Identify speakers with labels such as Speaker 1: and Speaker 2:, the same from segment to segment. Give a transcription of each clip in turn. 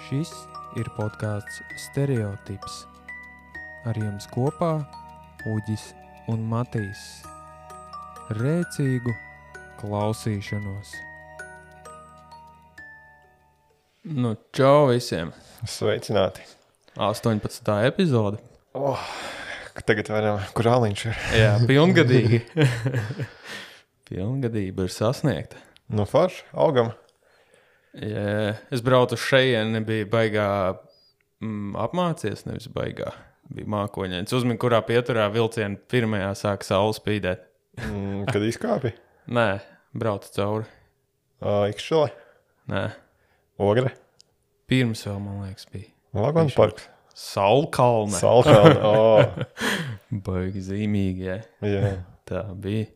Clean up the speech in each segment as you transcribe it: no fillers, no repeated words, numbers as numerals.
Speaker 1: Šis ir podcasts Stereotips. Ar jums kopā Uģis un Matīs. Rēcīgu klausīšanos. Nu, čau visiem.
Speaker 2: Sveicināti.
Speaker 1: 18. epizode.
Speaker 2: Tagad varam, kur āliņš ir.
Speaker 1: Jā, pilngadīgi. Pilngadība ir sasniegta.
Speaker 2: Nu, forši, augam.
Speaker 1: Jā, es braucu uz šejieni, nebija baigā apmācies, nevis baigā. Bija mākoņains. Uzmini, kurā pieturā vilciena pirmajā sāka saule spīdēt.
Speaker 2: Kad izkāpi?
Speaker 1: Nē, braucu cauri.
Speaker 2: Ikšķele?
Speaker 1: Nē,
Speaker 2: Ogre?
Speaker 1: pirms vēl, man liekas, bija.
Speaker 2: Lagons parks?
Speaker 1: Saulkalne.
Speaker 2: Saulkalne,
Speaker 1: Baigi zīmīgi, jā.
Speaker 2: Jā.
Speaker 1: Tā bija.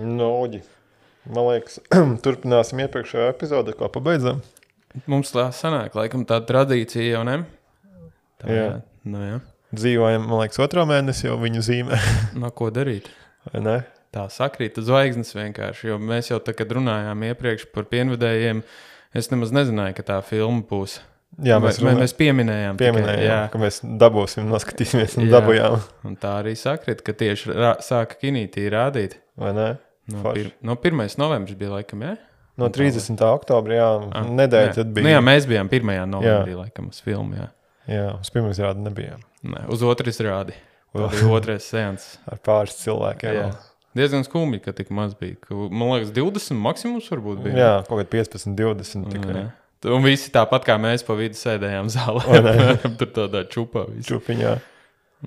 Speaker 2: Nu, Uģi, man liekas, turpināsim iepriekšējā epizode, ko pabeidzam.
Speaker 1: Mums tā sanāk, laikam tā tradīcija jau, ne? Tā,
Speaker 2: Jā.
Speaker 1: Nu, jā.
Speaker 2: Dzīvojam, man liekas, 2. mēnesi jau viņu zīmē.
Speaker 1: Nu, ko darīt?
Speaker 2: Vai ne?
Speaker 1: Tā sakrīta zvaigznes vienkārši, jo mēs jau tā, kad runājām iepriekš par pienvedējiem, es nemaz nezināju, ka tā filma būs.
Speaker 2: Jā, mēs
Speaker 1: pieminējām.
Speaker 2: Pieminējām,
Speaker 1: tikai,
Speaker 2: ka mēs dabūsim, noskatīsimies un
Speaker 1: Jā.
Speaker 2: dabujām.
Speaker 1: Un tā arī sakrīt, ka tieši sāka kinītī rādīt.
Speaker 2: Vai ne?
Speaker 1: No,
Speaker 2: Forši.
Speaker 1: no 1. novembris bija laikam, jā?
Speaker 2: No 30. oktobra, jā, nedēļa tad bija.
Speaker 1: Nu, jā, mēs bijām 1. novembrī laikam uz filmu, jā.
Speaker 2: Jā, uz pirmā izrādi nebijām.
Speaker 1: Nē, uz otras rādi. Tā bija otrais seans.
Speaker 2: Ar pāris cilvēkiem.
Speaker 1: Jā. Diezgan skumji, ka tik maz bija. Man liekas, 20 maksimums varbūt bija.
Speaker 2: Jā, kaut kā 15, 20 tikai.
Speaker 1: Un visi tāpat kā mēs pa vidu sēdējām zālē. Tur tādā čupā visi.
Speaker 2: Čupiņā.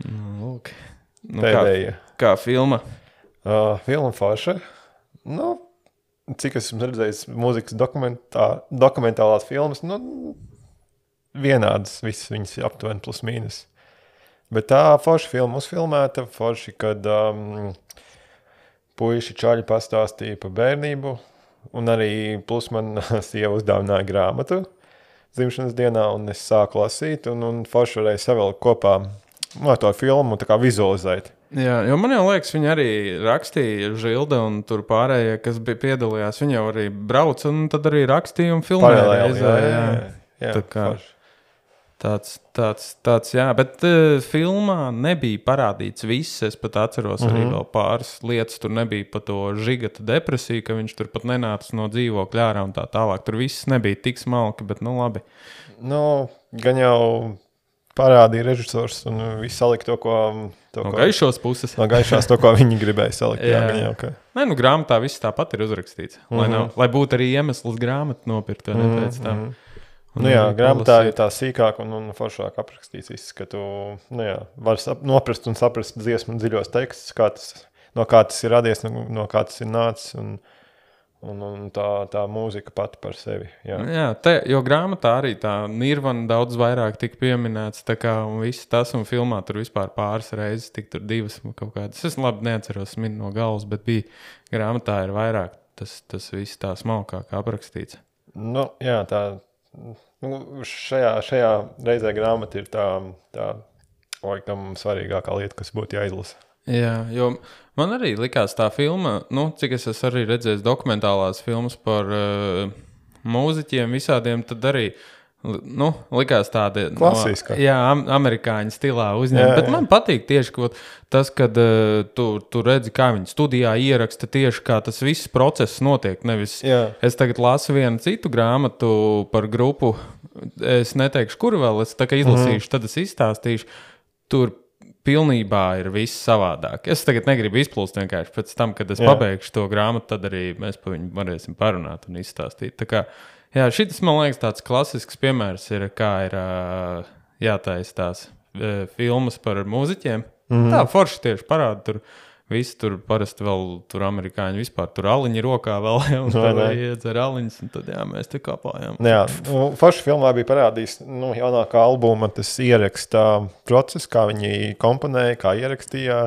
Speaker 1: Lūk. Nu,
Speaker 2: Pēdējie.
Speaker 1: kā filma?
Speaker 2: Filma forša. Nu, cik esmu redzējis mūzikas dokumentālās filmas, nu, vienādas visas viņas aptuveni plus mīnus. Bet tā forša filma uzfilmēta, forši, kad puiši čaļi pastāstīja par bērnību, un arī plus man sieva uzdāvināja grāmatu dzimšanas dienā, un es sāku lasīt, un forši varēja savilkt kopā to filmu tā kā vizualizēt.
Speaker 1: Jā, jo man jau liekas, viņi arī rakstīja Žilda un tur pārējie, kas bija piedalījās, viņi jau arī brauca un tad arī rakstīja un filmēja.
Speaker 2: Paralēli, jā,
Speaker 1: Tā kā
Speaker 2: forši.
Speaker 1: Tāds, jā, bet filmā nebija parādīts viss, es pat atceros arī vēl pāris lietas, tur nebija pa to žigata depresiju, ka viņš tur pat nenāca no dzīvokļa ārā un tā tālāk, tur viss nebija tik smalki, bet nu labi.
Speaker 2: Nu, gan jau parādīja režisors un viss salika to, ko...
Speaker 1: No gaišos puses.
Speaker 2: No gaišās to, ko viņi gribēja salikt. Jā, gan jau, ka...
Speaker 1: Nē, nu grāmatā viss tāpat ir uzrakstīts, lai būtu arī iemesls grāmatu nopirkt, vai ne pēc tam.
Speaker 2: Nu jā, grāmatā ir tā sīkāk un foršāk aprakstīts viss, ka tu var noprast un saprast dziesmu dziļos tekstus, no kā tas ir radies, no kā tas ir nācis un tā mūzika pati par sevi. Jā,
Speaker 1: jo grāmatā arī tā Nirvana daudz vairāk tika pieminēts, tā kā un viss tas un filmā tur vispār pāris reizes, tik tur 2 kaut kādas. Es labi neatceros no galvas, bet bija grāmatā ir vairāk tas viss tā smalkāk aprakstīts.
Speaker 2: Nu, jā, šajā reizē grāmata ir tā laikam svarīgākā lieta, kas būtu jāizlasa. Jā,
Speaker 1: jo man arī likās tā filma, cik es esmu arī redzējis dokumentālās filmas par mūziķiem visādiem, tad arī, likās tāda
Speaker 2: klasiska.
Speaker 1: Amerikāņu stilā uzņēma, bet man patīk tieši tas, kad tu redzi, kā viņi studijā ieraksta tieši, kā tas viss process notiek, nevis es tagad lasu vienu citu grāmatu par grupu, es neteikšu, kuru vēl, es tā kā izlasīšu, tad es izstāstīšu, tur pilnībā ir viss savādāk. Es tagad negribu izplūst vienkārši pēc tam, kad es pabeigšu to grāmatu, tad arī mēs pa viņu varēsim parunāt un izstāstīt. Tā kā, šitas, man liekas, tāds klasisks piemērs ir, kā ir jātaisa tās filmas par mūziķiem. Tā forši tieši parāda tur. Visi tur parasti vēl tur amerikāņi vispār tur aliņi rokā vēl, un tad iedzer aliņas, un tad mēs te kāpājām.
Speaker 2: Jā, forši filmā bija parādījis jaunākā albuma, tas ieraksta process, kā viņi komponēja, kā ierakstīja,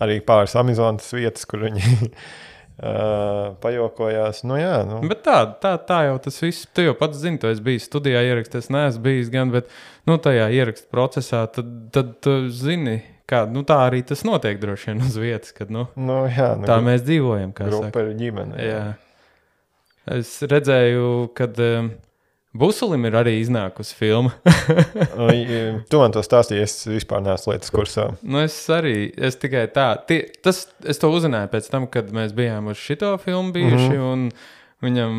Speaker 2: arī pāris Amazonas vietas, kur viņi pajokojās. Bet
Speaker 1: tā jau tas viss, tu jau pats zini, tu esi bijis studijā ierakstījis, neesmu bijis gan, bet tajā ieraksta procesā, tad tu zini, kā, tā arī tas notiek droši vien uz vietas, kad, tā mēs dzīvojam, kā
Speaker 2: grupa
Speaker 1: saka.
Speaker 2: Ir ģimene.
Speaker 1: Jā. Es redzēju, kad Busulim ir arī iznākusi filma.
Speaker 2: Tu man to stāstīji, es vispār neesmu lietas kursā.
Speaker 1: Nu, es tikai tā. Es to uzzināju pēc tam, kad mēs bijām uz šito filmu bijuši, un viņam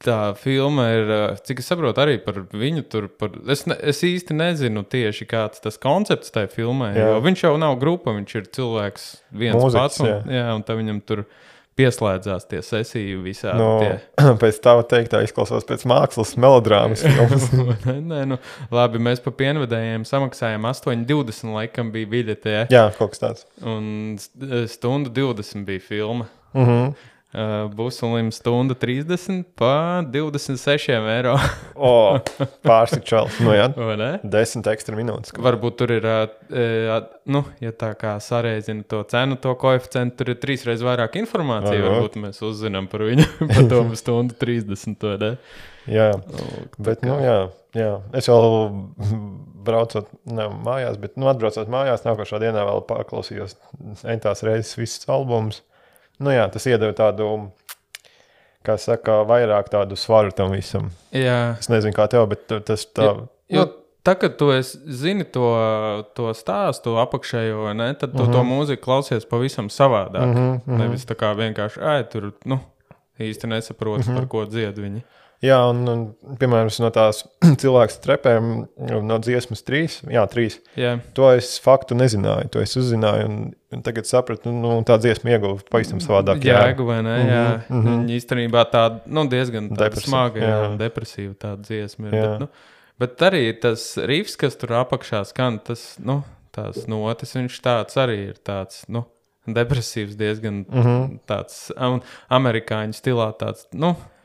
Speaker 1: tā filma ir, cik es saprotu, arī par viņu tur. Es īsti nezinu tieši, kāds tas koncepts tajā filmē, jo viņš jau nav grupa, viņš ir cilvēks viens
Speaker 2: Mūzikas,
Speaker 1: pats, un tā viņam tur pieslēdzās tie sesiju visādi.
Speaker 2: Pēc tava teiktā izklausās pēc mākslas melodrāmas filmas.
Speaker 1: Nē, labi, mēs pa pienvedējiem samaksājām 8,20 laikam bija biļete.
Speaker 2: Jā, kaut kas tāds.
Speaker 1: Un 1:20 bija filma. Busulim 1:30 pa 26 eiro.
Speaker 2: Pārsik čels. Nu jā,
Speaker 1: Vai ne?
Speaker 2: 10 ekstra minūtes.
Speaker 1: Varbūt tur ir, ja tā kā sareizina to cenu, to koeficientu, tur ir 3 reizes vairāk informācija. Varbūt mēs uzzinām par viņu pa to 1:30, vai ne?
Speaker 2: Jā, bet, jā. Es vēl braucot, mājās, bet, atbraucot mājās, nākošā dienā vēl paklausījos entās reizes visus albumus. Nu jā, tas iedeva tādu, kā saka, vairāk tādu svaru tam visam.
Speaker 1: Jā.
Speaker 2: Es nezinu, kā tev, bet tas tā...
Speaker 1: Jo tā, kad tu zini to stāstu apakšējo, ne, tad tu to mūziku klausies pavisam savādāk. Nevis tā kā vienkārši, tur, īsti nesaproti, par ko dzied viņi.
Speaker 2: Jā, un piemēram, no tās cilvēks trepēm, no dziesmas 3, to es faktu nezināju, to es uzzināju, un tagad sapratu, tā dziesma ieguva pavisam savādāk.
Speaker 1: Jēgu, vai ne? Viņa īstenībā tāda, diezgan smaga, depresīva tāda dziesma ir. Bet arī tas rifs, kas tur apakšā skan, tas, tās notis, viņš tāds arī ir tāds, depresīvs diezgan tāds amerikāņu stilā tāds,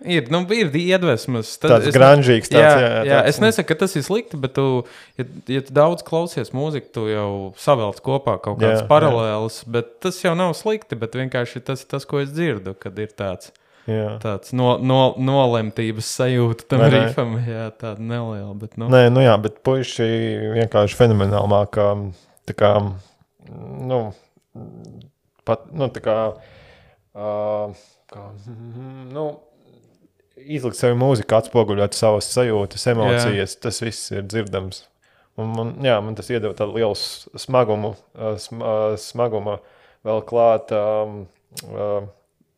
Speaker 1: ir iedvesmas.
Speaker 2: Tāds granžīgs tāds,
Speaker 1: jā. Es nesaku, ka tas ir slikti, bet ja tu daudz klausies mūziku, tu jau savelc kopā kaut kāds paralēlis, bet tas jau nav slikti, bet vienkārši tas, ko es dzirdu, kad ir tāds nolemtības sajūta tam rifam, tāda neliela, bet
Speaker 2: Nē, bet puiši vienkārši fenomenāli mākā, tā kā, tā kā, izlikt savu mūziku, atspoguļot savas sajūtas, emocijas, tas viss ir dzirdams. Un man tas iedeva tādu lielu smaguma vēl klāt,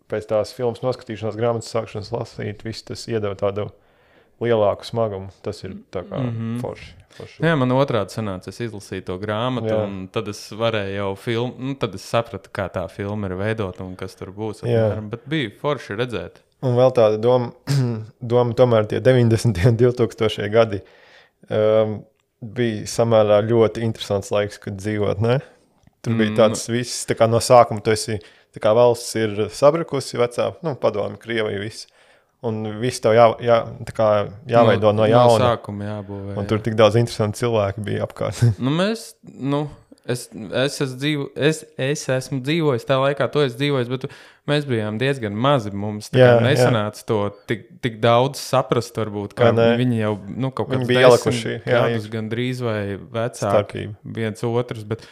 Speaker 2: pēc tās filmas noskatīšanās, grāmatas sākšanas lasīt, viss tas iedeva tādu lielāku smagumu. Tas ir tā kā forši.
Speaker 1: Jā, man otrādi sanāca, es izlasīju to grāmatu, un tad es varēju jau filmu, tad es sapratu, kā tā filma ir veidota un kas tur būs. Bet bija forši redzēt.
Speaker 2: Un vēl tāda doma tomēr tie 90. un 2000. gadi bija samērā ļoti interesants laiks, kad dzīvot, ne? Tur bija tāds viss, tā kā no sākuma tu esi, tā kā valsts ir sabrukusi vecā, padomi, Krievija viss. Un viss tev jāveido no jauna.
Speaker 1: No sākuma jābūvē.
Speaker 2: Un tur tik daudz interesanti cilvēki bija apkārt.
Speaker 1: Es esmu dzīvojis tā laikā, to es dzīvojis, bet mēs bijām diezgan mazi. Mums nesanāca to tik daudz saprast, varbūt, kā viņi jau kaut kāds 10 gadus gandrīz vai vecāki viens otrs, bet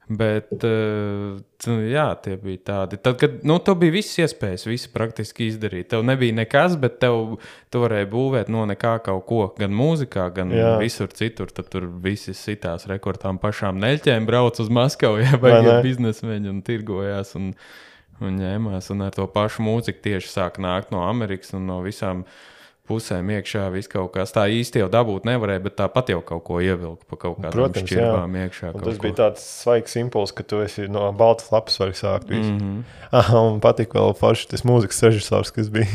Speaker 1: tie bija tādi. Tad, kad tev bija visas iespējas, visu praktiski izdarīt. Tev nebija nekas, bet tu varēji būvēt no nekā kaut ko, gan mūzikā, gan visur citur. Tad tur visi sitās rekordām pašām neļķēm brauc uz Maskavu, vai biznesmeņi un tirgojās un ņēmās. Un ar to pašu mūziku tieši sāk nākt no Amerikas un no visām pusēm iekšā viss kaut kas. Tā īsti jau dabūt nevarēja, bet tāpat jau kaut ko ievilka pa kaut kādām šķirbām iekšā.
Speaker 2: Tas bija tāds svaigs impuls, ka tu esi no baltas lapas vari sākt visu. Un patika vēl forši tas mūzikas režisors, kas bija.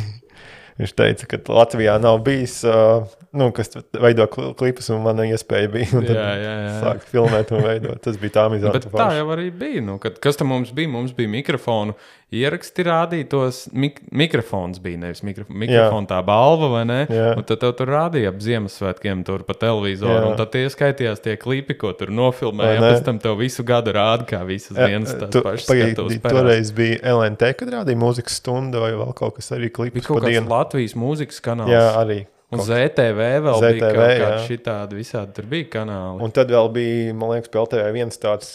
Speaker 2: Viņš teica, ka Latvijā nav bijis, kas veido klipus, un mana iespēja bija. Un tad sāk filmēt un veidot. Tas bija tā amizanti.
Speaker 1: Bet tā jau arī bija. Kas tam mums bija? Mums bija mikrofonu ieraksti rādītos. Mikrofons bija, nevis mikrofonu tā balva, vai ne? Un tad tev tur rādīja ap Ziemassvētkiem tur pa televizoru. Un tad tie skaitījās tie klipi, ko tur nofilmēja. Pēc tam tev visu gadu rāda, kā visas dienas tās pašas skatuves parās.
Speaker 2: Toreiz bija LNT, kad rādīja mūzikas stunda vai vēl kaut kas arī klipus pa dienu.
Speaker 1: Latvijas mūzikas kanāls.
Speaker 2: Jā, arī.
Speaker 1: Un ZTV vēl bija kaut kādi šitādi, visādi tur bija kanāli.
Speaker 2: Un tad vēl bija, man liekas, pie LTV viens tāds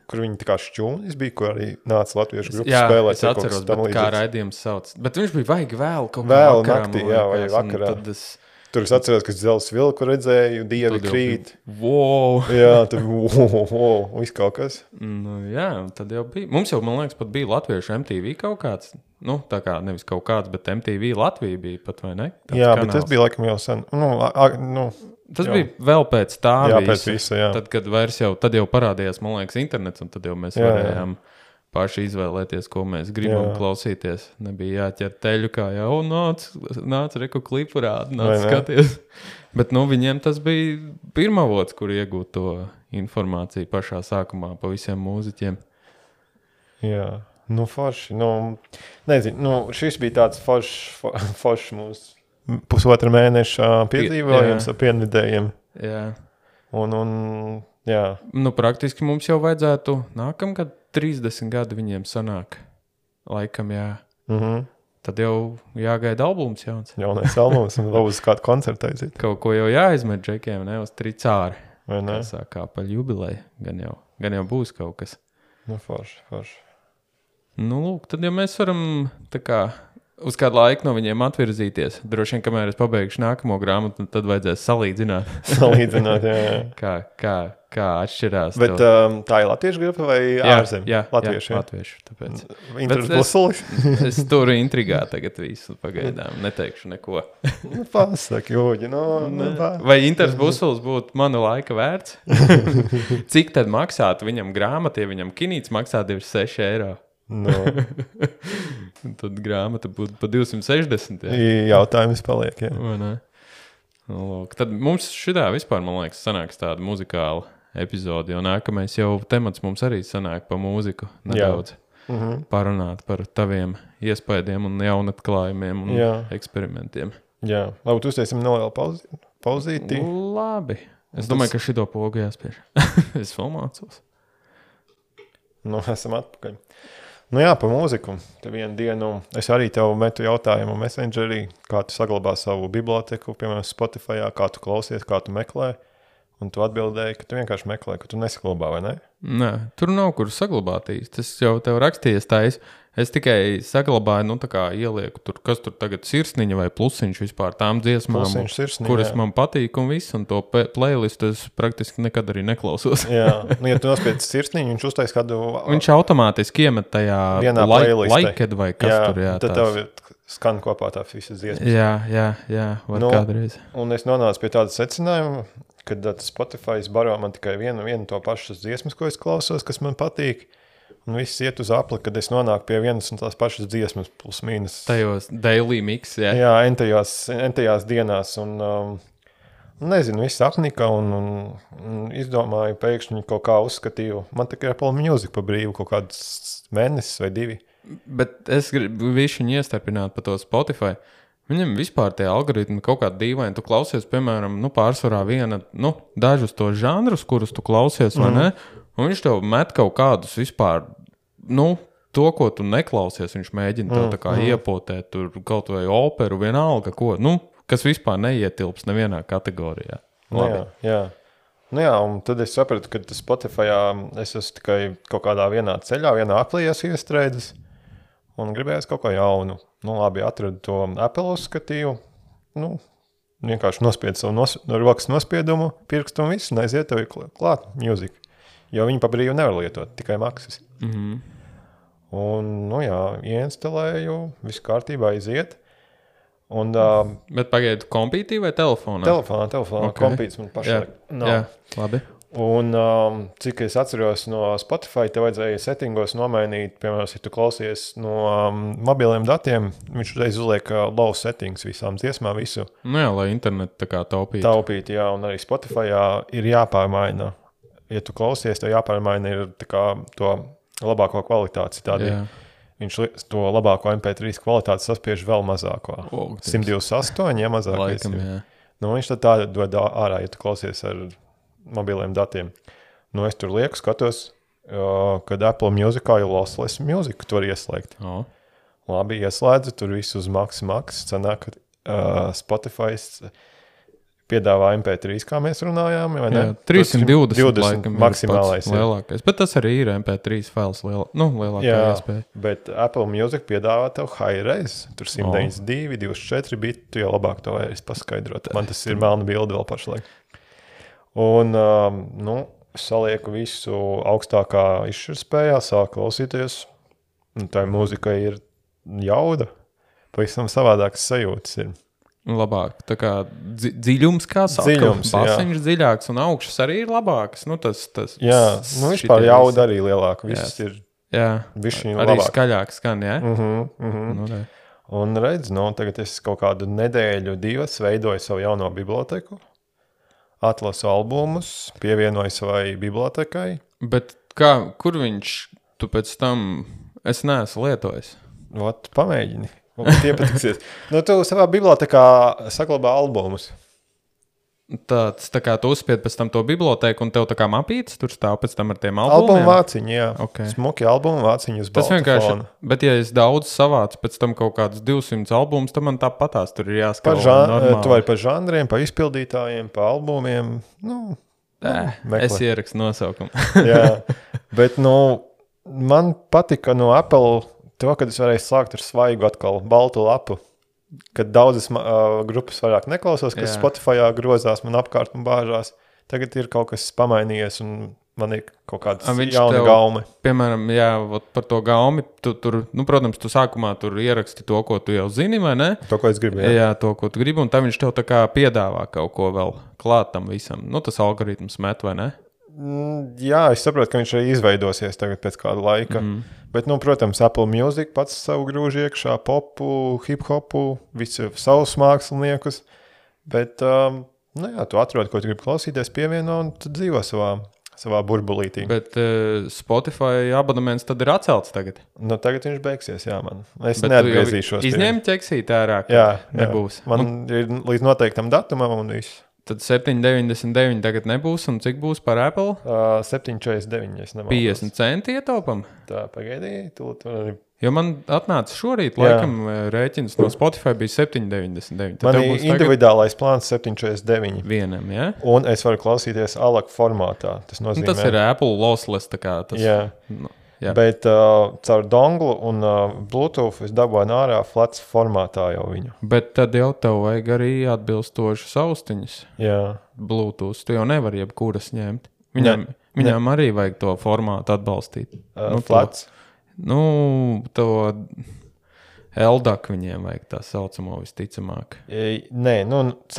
Speaker 2: kur viņi tā kā šķūnis bija, kur arī nāca latviešu grupas spēlēt.
Speaker 1: Jā, es atceros, kā raidījums sauc. Bet viņš bija vajag vēl kaut kā
Speaker 2: vēl
Speaker 1: vakarā.
Speaker 2: Naktī, jā, vai vakarā. Tur es atceros, ka Zelts vilku redzēju, Dievi krīt.
Speaker 1: Wow!
Speaker 2: Jā, tad viss kaut kas.
Speaker 1: Nu, jā, tad jau bija. Mums jau, man liekas, pat bija latviešu MTV kaut kāds. Nu, tā kā nevis kaut kāds, bet MTV Latvija bija pat, vai ne?
Speaker 2: Tāds jā, kanāls. Bet tas bija laikam jau sen.
Speaker 1: Tas bija vēl pēc tā
Speaker 2: pēc visa, jā.
Speaker 1: Tad, kad tad jau parādījās, man liekas, internets, un tad jau mēs varējām paši izvēlēties, ko mēs gribam klausīties. Nebija jāķer teļu, kā jau nāc reku klipu rādi, nāc skaties. Bet, viņiem tas bija pirmavots, kur iegūt to informāciju pašā sākumā pa visiem mūziķiem.
Speaker 2: Jā, forši. Nezinu, šis bija tāds foršs mūsu pusotra mēneša piedzīvojums ar pienvidējiem.
Speaker 1: Jā.
Speaker 2: Jā.
Speaker 1: Praktiski mums jau vajadzētu nākamgad 30 gadi viņiem sanāk. Laikam, jā. Tad jau jāgaida albums jauns.
Speaker 2: Jaunais albums un vēl uz kādu koncertu aiziet.
Speaker 1: Kaut ko jau jāizmet džekiem, ne? Uz tricāri.
Speaker 2: Vai ne?
Speaker 1: Kā sākā pa jubileju. Gan jau būs kaut kas.
Speaker 2: Forši.
Speaker 1: Lūk, tad jau mēs varam tā kā uz kādu laiku no viņiem atvirzīties. Droši vien, kamēr es pabeigšu nākamo grāmatu, tad vajadzēs salīdzināt.
Speaker 2: Jā.
Speaker 1: Kā atšķirās.
Speaker 2: Bet tā ir latviešu grupa vai ārzemju?
Speaker 1: Jā,
Speaker 2: latviešu.
Speaker 1: Tāpēc.
Speaker 2: Intersbusulis?
Speaker 1: Es turu intrigā tagad visu pagaidām. Neteikšu neko.
Speaker 2: Pasaki, Uģi.
Speaker 1: Vai Intersbusulis būtu mana laika vērts? Cik tad maksātu viņam grāmata, ja viņam kinīts maksā 26 eiro? Tad grāmata būtu pa 260.
Speaker 2: Jautājums paliek, jā.
Speaker 1: Vai ne? Tad mums šitā vispār, man liekas, sanāks tāda muzikāla epizode, jo nākamais jau temats mums arī sanāk pa mūziku nedaudz. Parunāt par taviem iespējiem un jaunatklājumiem un eksperimentiem.
Speaker 2: Jā, labi, tu uztaisim nelielu pauzīti.
Speaker 1: Labi. Es domāju, ka šito pogu jāspiež. Es vēl mācos.
Speaker 2: Esam atpakaļ. Pa mūziku. Te vienu dienu es arī tev metu jautājumu Messengerī, kā tu saglabā savu biblioteku, piemēram, Spotifyā, kā tu klausies, kā tu meklē. Un tu atbildēji, ka tu vienkārši meklē, ka tu nesaglabā, vai ne?
Speaker 1: Nē, tur nav kur saglabāt īsti. Tas jau tev rakstījies tais. Es tikai saglabāju, tā kā ielieku tur, kas tur tagad sirsniņa vai plusiņš vispār tām dziesmām, kuras man patīk un viss, un to playlistu es praktiski nekad arī neklausos.
Speaker 2: Jā, ja tu nospiedz sirsniņu, viņš uztais kādu...
Speaker 1: Viņš automātiski iemet tajā laiked vai kas tur, jā.
Speaker 2: Tad tev skan kopā tā visas dziesmas.
Speaker 1: Jā, var kādreiz.
Speaker 2: Un es nonācu pie tāda secinājuma, kad Spotify baro man tikai vienu to pašas dziesmas, ko es klausos, kas man patīk. Un viss iet uz apli, kad es nonāku pie vienas un tās pašas dziesmas, plus mīnus.
Speaker 1: Tajos daily mix, jā?
Speaker 2: Jā, entajās dienās. Un nezinu, viss apnika un izdomāju, pēkšņi kaut kā uzskatīju. Man tikai Apple Music pa brīvu kaut kāds mēnesis vai 2.
Speaker 1: Bet es gribu višķiņu iestarpināt pa to Spotify. Viņam vispār tie algoritmi kaut kādi dīvaini. Tu klausies, piemēram, pārsvarā dažus tos žanrus, kurus tu klausies, vai ne? Un viņš tev met kaut kādus vispār, to, ko tu neklausies, viņš mēģina tev tā kā iepotēt tur kaut vai operu, vienalga, ko, kas vispār neietilps nevienā kategorijā.
Speaker 2: Jā. Un tad es sapratu, ka Spotifyā es esmu tikai kaut kādā vienā ceļā, vienā aplījās iestrēdzis un gribējās kaut ko jaunu. Labi, atradu to Apple uzskatīju, vienkārši nospiedu savu rokas nospiedumu, pirkstu un visu, un aiziet tev klāt mūziku. Jo viņi pa brīvu nevar lietot, tikai maksas. Un, ieinstalēju, visu kārtībā aiziet. Un,
Speaker 1: bet pagaidu kompītī vai telefonā?
Speaker 2: Telefonā, okay. Kompīts man pašlaik.
Speaker 1: Jā, labi.
Speaker 2: Un cik es atceros no Spotify, te vajadzēja settingos nomainīt, piemēram, ja tu klausies no mobiliem datiem, viņš uzreiz uzliek low settings visām dziesmām, visu.
Speaker 1: Lai internetu tā kā taupītu.
Speaker 2: Taupītu, jā, un arī Spotifyā ir jāpārmaina. Ja tu klausies, tev jāpārmaina ir tā kā to labāko kvalitāti. Viņš to labāko MP3 kvalitāti saspiež vēl mazāko. 128, ja mazākais.
Speaker 1: Laikam, jā.
Speaker 2: Viņš tad tā dod ārā, ja tu klausies ar mobiliem datiem. Es tur lieku, skatos, kad Apple Musicā ir lossless music, tu var ieslēgt. Labi, ieslēdzu, tur visu uz maks. Sanāk, ka Spotify piedāvā MP3, kā mēs runājām, vai ne?
Speaker 1: Jā, 320 laikam
Speaker 2: maksimālais.
Speaker 1: Lielākais, bet tas arī ir MP3 fails lielākā iespēja.
Speaker 2: Bet Apple Music piedāvā tev high-res, tur 192, 24 biti, tu jau labāk to vairs paskaidrot. Man tas ir melna bilde vēl pašlaik. Un, salieku visu augstākā izšķirtspējā, sāk klausīties, un tā mūzika ir jauda, pavisam savādākas sajūtas ir.
Speaker 1: Labāk, tā kā dziļums, kā saka, basiņš dziļāks un augšas arī ir labāks.
Speaker 2: Jā, vispār jauda arī lielāka, viss ir bišķiņ labāk.
Speaker 1: Arī skaļāk skan, jā?
Speaker 2: Un redz, tagad es kaut kādu nedēļu, 2 veidoju savu jauno biblioteku, atlasu albumus, pievienoju savai bibliotekai.
Speaker 1: Bet kur tu pēc tam, es neesmu lietojis?
Speaker 2: Pamēģini. Tie patiksies. Tu savā bibliotekā saglabā albumus.
Speaker 1: Tā kā tu uzspied pēc tam to biblioteku un tev tā kā mapītes, tur stāv pēc tam ar tiem albumiem?
Speaker 2: Albumu vāciņi, jā. Okay. Smuki albumu vāciņi uz balta fona.
Speaker 1: Bet ja es daudz savācu pēc tam kaut kādus 200 albumus, tad man tāpatās tur ir jāskatās normāli.
Speaker 2: Tu vari pa žanriem, pa izpildītājiem, pa albumiem.
Speaker 1: Es ierakstu nosaukumu.
Speaker 2: Jā, bet man patika no Apple to, kad es varēju sākt ar svaigu atkal baltu lapu, kad daudzas grupas vairāk neklausos, kas Spotifyā grozās man apkārt un bāžās. Tagad ir kaut kas pamainījies un man ir kaut kādas jauna gaumi.
Speaker 1: Piemēram, par to gaumi, protams, tu sākumā tur ieraksti to, ko tu jau zini, vai ne?
Speaker 2: To, ko es gribu,
Speaker 1: jā, to, ko tu gribi, un tad viņš tev tā kā piedāvā kaut ko vēl klāt tam visam. Tas algoritms met, vai ne?
Speaker 2: Jā, es saprotu, ka viņš arī izveidosies tagad pēc kāda laika. Bet, protams, Apple Music pats savu grūž iekšā, popu, hip-hopu, visu savus māksliniekus. Bet, tu atrodi, ko tu gribi klausīties, pievieno un tu dzīvo savā burbulītī.
Speaker 1: Bet Spotify abonements tad ir atcelts tagad?
Speaker 2: Tagad viņš beigsies, jā, man. Es neatgriezīšos.
Speaker 1: Izņem ķeksīt ārā, nebūs.
Speaker 2: Man ir līdz noteiktam datumam un viss.
Speaker 1: Tad 7,99 tagad nebūs, un cik būs par Apple?
Speaker 2: 7,49, es nemaldos.
Speaker 1: 50 centi ietaupam?
Speaker 2: Tā, pagaidī,
Speaker 1: Jo man atnāca šorīt, laikam, rēķins no Spotify bija 7,99.
Speaker 2: Man ir individuālais plāns 7,49.
Speaker 1: Vienam, jā?
Speaker 2: Un es varu klausīties ALAC formātā. Tas nozīmē...
Speaker 1: Tas ir Apple lossless, tā kā tas...
Speaker 2: Jā. Jā. Bet caur donglu un Bluetooth es dabūju ārā flats formātā jau viņu.
Speaker 1: Bet tad jau tev vajag arī atbilstošas austiņas.
Speaker 2: Jā.
Speaker 1: Bluetooth. Tu jau nevari jebkuras ņemt. Viņām arī vajag to formātu atbalstīt.
Speaker 2: Flats?
Speaker 1: To LDAC viņiem vajag tā saucamo visticamāk.
Speaker 2: Nē,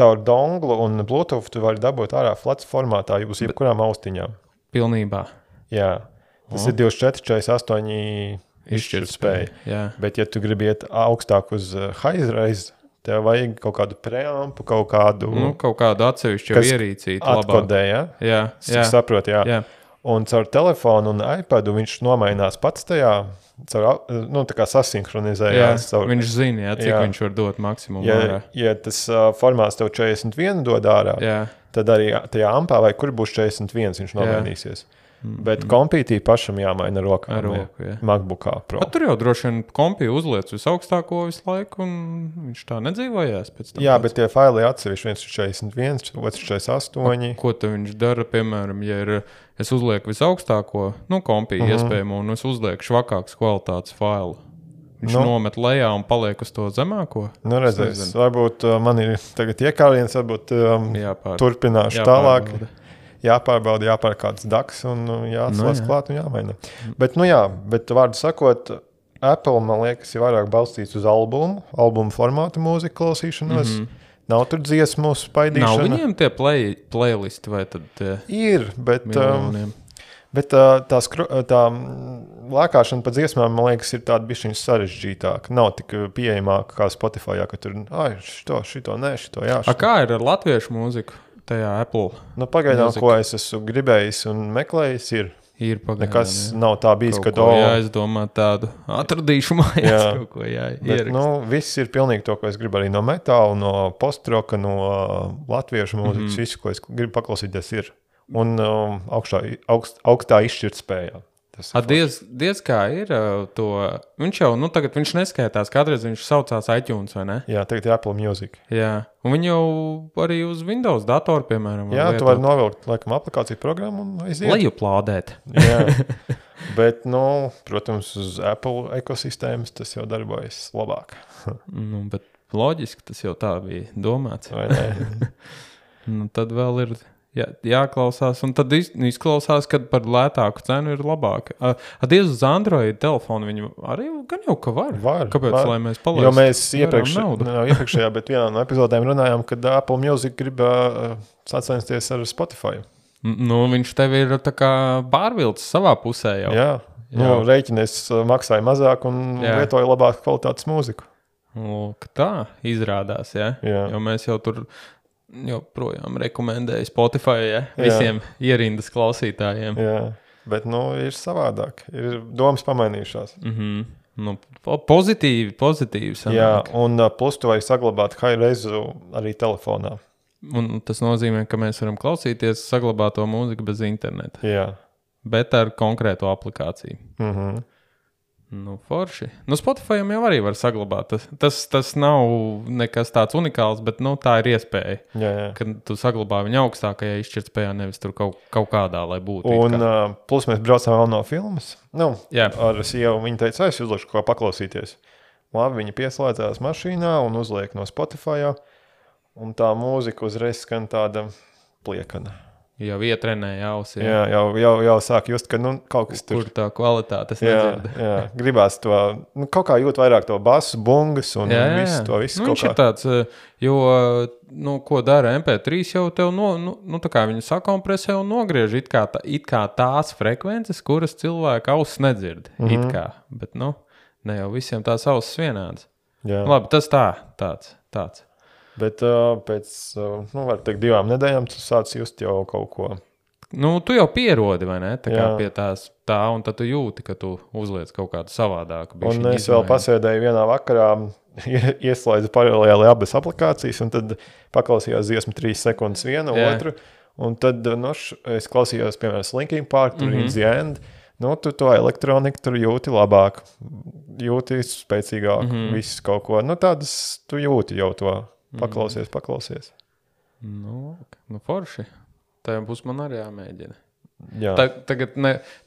Speaker 2: caur donglu un Bluetooth tu vari dabūt ārā flats formātā uz jebkurām austiņām.
Speaker 1: Pilnībā.
Speaker 2: Jā. Tas ir 24,48 izšķirtspēja. Bet, ja tu gribi iet augstāk uz high-res, tev vajag kaut kādu preampu, kaut kādu
Speaker 1: atsevišķu ierīcīti.
Speaker 2: Atkodē,
Speaker 1: jā? Jā.
Speaker 2: Saprot, jā. Un caur telefonu un iPadu viņš nomainās pats tajā, tā kā sasinhronizējās.
Speaker 1: Viņš zina, cik viņš var dot maksimumu ārā.
Speaker 2: Ja tas formāts tev 41 dod ārā, tad arī tajā ampā vai kur būs 41, viņš nomainīsies. Bet kompītī pašam jāmaina rokā. MacBookā Pro.
Speaker 1: Tur jau droši vien kompī uzliec visaugstāko visu laiku, un viņš tā nedzīvojās pēc tam.
Speaker 2: Jā, bet tie faili atsevišķi, viens ir 41, otrs 48.
Speaker 1: Ko tad viņš dara, piemēram, ja es uzlieku visaugstāko, kompī iespējamo, un es uzlieku švakāks kvalitātes failu. Viņš nomet lejā un paliek uz to zemāko.
Speaker 2: Redzēs, varbūt man ir tagad iekāriens, varbūt turpināšu tālāk. Jāpārbauda, jāpār kāds daks un jāatslās klāt un jāmaina. Bet vārdu sakot, Apple, man liekas, ir vairāk balstīts uz albumu formātu mūziku klausīšanos. Nav tur dziesmu spaidīšana.
Speaker 1: Nav viņiem tie playlisti vai tad tie
Speaker 2: ir, bet tā lēkāšana pa dziesmām, man liekas, ir tāda bišķiņa sarežģītāka. Nav tik pieejamāka kā Spotifyā, ka tur, šito, jā.
Speaker 1: Kā ir ar latviešu mūziku? Tajā Apple.
Speaker 2: Pagaidām, ko es esmu gribējis un meklējis, ir
Speaker 1: pagaidām.
Speaker 2: Nekas nav tā bijis,
Speaker 1: ka es domāju tādu atradīšu mājās kaut ko
Speaker 2: ierakst. Viss ir pilnīgi to, ko es gribu arī no metāla, no postroka, no latviešu mūzikas, visu, ko es gribu paklausīties, ir. Un augstā izšķirtspējā.
Speaker 1: Diez kā ir to. Viņš jau, tagad viņš neskaitās, kādreiz viņš saucās iTunes, vai ne?
Speaker 2: Jā, tagad ir Apple Music.
Speaker 1: Jā, un viņi jau arī uz Windows datoru, piemēram.
Speaker 2: Jā, tu vari novilkt, laikam, aplikāciju programmu un aiziet.
Speaker 1: Lejuplādēt.
Speaker 2: Jā, bet, protams, uz Apple ekosistēmas tas jau darbojas labāk.
Speaker 1: Bet loģiski tas jau tā bija domāts.
Speaker 2: Vai ne?
Speaker 1: Tad vēl ir... jāklausās, un tad izklausās, ka par lētāku cenu ir labāk. Diez uz Android telefonu viņu arī gan jau ka var. Kāpēc, lai mēs palaistu?
Speaker 2: Jo mēs iepriekšējā, bet vienā no epizodēm runājām, kad Apple Music grib sacensties ar Spotify.
Speaker 1: Viņš tev ir tā kā pārvilcis savā pusē jau.
Speaker 2: Jā. Rēķinies maksāja mazāk un lietoja labāk kvalitātes mūziku.
Speaker 1: Tā izrādās, jā. Jo mēs jau tur... joprojām rekomendēju Spotify visiem ierindas klausītājiem.
Speaker 2: Jā, bet ir savādāk. Ir domas pamainījušās.
Speaker 1: Pozitīvi sanāk.
Speaker 2: Jā, un plus tu vari saglabāt high-resu arī telefonā.
Speaker 1: Un tas nozīmē, ka mēs varam klausīties saglabāto mūziku bez interneta.
Speaker 2: Jā.
Speaker 1: Bet ar konkrēto aplikāciju. Forši. Spotify jau arī var saglabāt. Tas nav nekas tāds unikāls, bet tā ir iespēja.
Speaker 2: Jā.
Speaker 1: Kad tu saglabā viņu augstākajā izšķirtspējā, nevis tur kaut kādā, lai būtu.
Speaker 2: Un plus mēs braucām vēl no filmas. Ar sievu viņa teica, es uzlikšu ko paklausīties. Labi, viņa pieslēdzās mašīnā un uzliek no Spotify. Un tā mūzika uzreiz skan tāda pliekana.
Speaker 1: Jau ietrenēja ausi.
Speaker 2: Jā, jau sāk just, ka kaut kas tur.
Speaker 1: Kur tā kvalitāte es nedzirdu.
Speaker 2: Jā, gribās to, kaut kā jūt vairāk to basu, bungas un visu to visu.
Speaker 1: Viņš ir tāds, jo, ko dara MP3 jau tev, tā kā viņi sakompresē un nogriež it kā tās frekvences, kuras cilvēka ausis nedzird. It kā, bet, ne jau visiem tās ausis vienāds.
Speaker 2: Jā.
Speaker 1: Labi, tas tāds.
Speaker 2: Bet pēc, var teikt, 2 nedēļām tu sāc just jau kaut ko.
Speaker 1: Tu jau pierodi, vai ne? Tā kā pie tās un tad tu jūti, ka tu uzliec kaut kādu savādāku.
Speaker 2: Un es vēl pasēdēju vienā vakarā, ieslēdzu paralēli abas aplikācijas, un tad paklausījās dziesmu 3 sekundes vienu, otru, un tad es klausījos, piemēram, Linkin Park, tur In the End, tu to elektroniku tur jūti labāk, jūti spēcīgāk, viss kaut ko. Tādas tu jūti jau to. Paklausies.
Speaker 1: Forši. Tā būs man arī jāmēģina.
Speaker 2: Jā.
Speaker 1: Tagad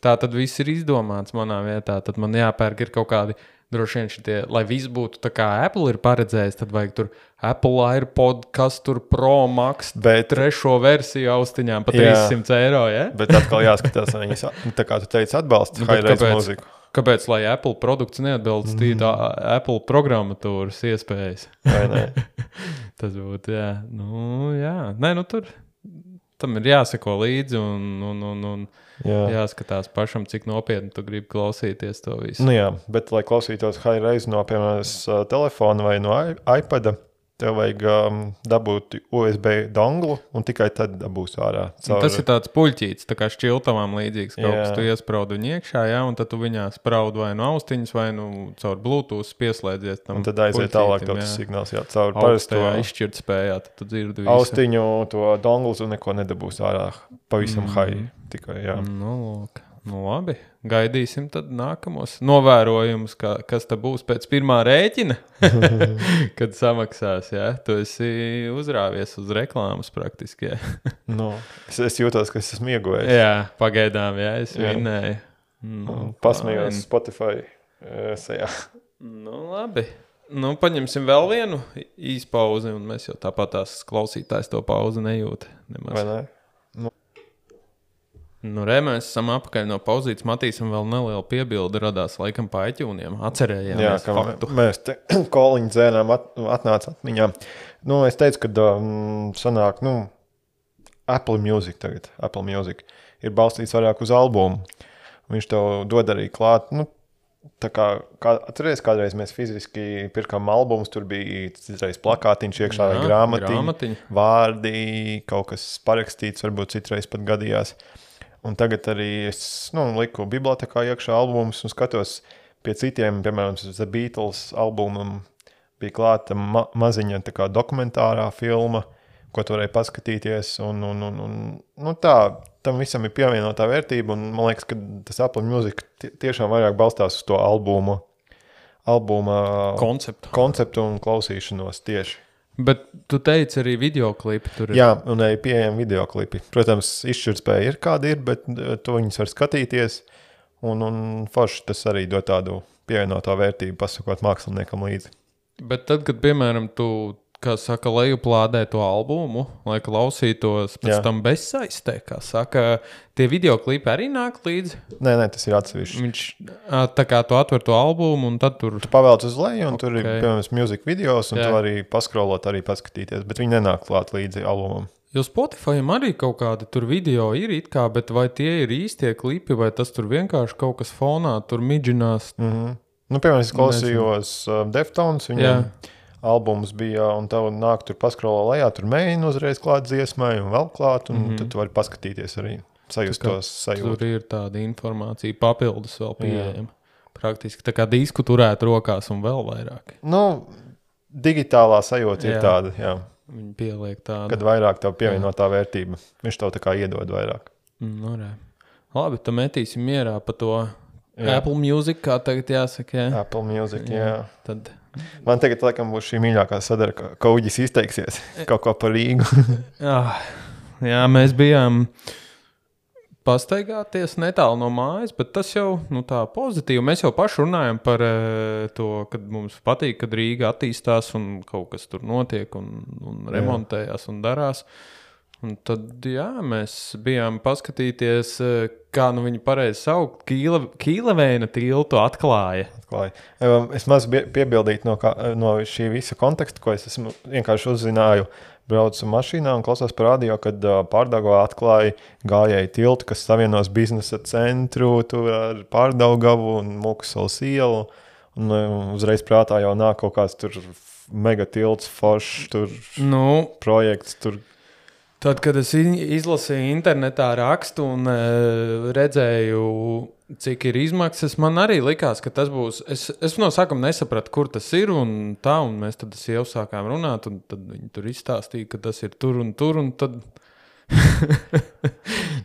Speaker 1: tā tad viss ir izdomāts manā vietā, tad man jāpērk ir kaut kādi droši vien šitie, lai viss būtu tā kā Apple ir paredzējis, tad vajag tur Apple AirPod, kas tur Pro Max, trešo versiju austiņām pa 300 eiro, ja?
Speaker 2: Bet atkal jāskatās, viņas, tā kā tu teici, atbalsta high-res mūziku.
Speaker 1: Kāpēc, lai Apple produkts neatbilst Apple programmatūras iespējas?
Speaker 2: Vai ne?
Speaker 1: Tas būtu, jā. Nē, tur tam ir jāseko līdzi un jāskatās pašam, cik nopietni tu gribi klausīties to visu.
Speaker 2: Jā, bet, lai klausītos high-res no, piemēram, telefona vai no iPada, tev vajag dabūt USB donglu un tikai tad dabūs ārā.
Speaker 1: Tas ir tāds puļķīts, tā kā šķiltavām līdzīgs. Kaut kas tu iespraudu viņu iekšā, un tad tu viņā spraudu vai no austiņas, vai caur Bluetooth pieslēdzies tam.
Speaker 2: Un tad aiziet tālāk tas signāls, caur
Speaker 1: augstajā izšķirtspējā, tad tu dzirdi visu.
Speaker 2: Austiņu to donglu tu neko nedabūs ārā. Pavisam high tikai, jā.
Speaker 1: Labi, gaidīsim tad nākamos novērojumus, kas te būs pēc pirmā rēķina, kad samaksās, jā. Tu esi uzrāvies uz reklāmas praktiski, jā.
Speaker 2: Es jūtos, ka es esmu iegojis.
Speaker 1: Jā, pagaidām, jā, es vinnēju.
Speaker 2: Pasmējos Spotify sejā.
Speaker 1: Labi. Paņemsim vēl vienu īspauzi, un mēs jau tāpat tās klausītājs to pauzi nejūt. Nemaz.
Speaker 2: Vai ne?
Speaker 1: Mēs esam apakaļ no pauzītes. Matīsim vēl nelielu piebildi radās laikam pa iTunesiem. Atcerējāmies faktu.
Speaker 2: Mēs te koliņu dzēnām atnāca atmiņā. Es teicu, ka sanāk, Apple Music tagad. Apple Music ir balstīts vairāk uz albumu. Viņš tev dod arī klāt, tā kā atceries, kādreiz mēs fiziski pirkām albumus, tur bija citreiz plakātiņš iekšā vai grāmatiņa, vārdi, kaut kas parakstīts, varbūt citreiz pat gadījās. Un tagad arī es liku bibliotekā iekšā albumus un skatos pie citiem, piemēram, The Beatles albumam bija klāta maziņa tā kā dokumentārā filma, ko tu varēji paskatīties. Un tā tam visam ir pievienotā vērtība, un man liekas, ka tas Apple Music tiešām vairāk balstās uz to albuma konceptu un klausīšanos tieši.
Speaker 1: Bet tu teici arī videoklipi tur ir.
Speaker 2: Jā, un arī pieejami videoklipi. Protams, izšķirtspēja ir kāda ir, bet to viņus var skatīties, un forši tas arī dod tādu pievienotā vērtību, pasakot māksliniekam līdzi.
Speaker 1: Bet tad, kad, piemēram, tu, kā saka, lejuplādē to albumu, lai klausītos pēc tam bezsaistē, kā saka, tie videoklipi arī nāk līdzi?
Speaker 2: Nē, tas ir atsevišķi.
Speaker 1: Tā kā tu atver to albumu, un tad tur...
Speaker 2: Tu pavelc uz leju, un tur ir, piemēram, music videos, un tu arī paskrolot, arī paskatīties, bet viņi nenāk klāt līdzi albumam.
Speaker 1: Jo Spotify'am arī kaut kādi tur video ir it kā, bet vai tie ir īstie klipi, vai tas tur vienkārši kaut kas fonā tur midžinās?
Speaker 2: Nu, piemēram, es klausījos Deftones, viņam albums bija, un tev nāk tur paskrolā lejā, tur mēģina uzreiz klāt dziesmai un vēl klāt, un tad tu vari paskatīties arī, sajust tos sajūtu.
Speaker 1: Tur ir tāda informācija papildus vēl pieejama. Praktiski tā kā disku turēt rokās un vēl vairāk.
Speaker 2: Nu, digitālā sajūta ir tāda, jā.
Speaker 1: Viņi pieliek tādu.
Speaker 2: Kad vairāk tev pievienotā vērtība. Viņš tev tā kā iedod vairāk.
Speaker 1: Labi, tad metīsim mierā pa to Apple Music, kā tagad jāsaka. Jā.
Speaker 2: Apple Music, jā.
Speaker 1: Tad...
Speaker 2: Man tagad, laikam, būs šī mīļākā sadara, ka Kauģis izteiksies kaut ko par Rīgu.
Speaker 1: Jā, mēs bijām pastaigāties netālu no mājas, bet tas jau tā pozitīvi. Mēs jau paši runājam par to, kad mums patīk, kad Rīga attīstās un kaut kas tur notiek un remontējās un darās. Un tad, mēs bijām paskatīties, kā viņi pareizi saukt, Kīleveina tiltu atklāja.
Speaker 2: Es maz piebildītu no šī visa konteksta, ko es esmu vienkārši uzzināju, braucu mašīnā un klausos par radio, kad Pārdaugavā atklāja gājēju tiltu, kas savienos biznesa centru ar Pārdaugavu un Mukasalas ielu. Un uzreiz prātā jau nāk kaut kāds tur mega tilts, foršs, tur projekts, tur.
Speaker 1: Tad, kad es izlasīju internetā rakstu un redzēju, cik ir izmaksas, man arī likās, ka tas būs... Es no sākuma nesapratu, kur tas ir un mēs tad jau sākām runāt, un tad viņi tur izstāstīja, ka tas ir tur, un tad...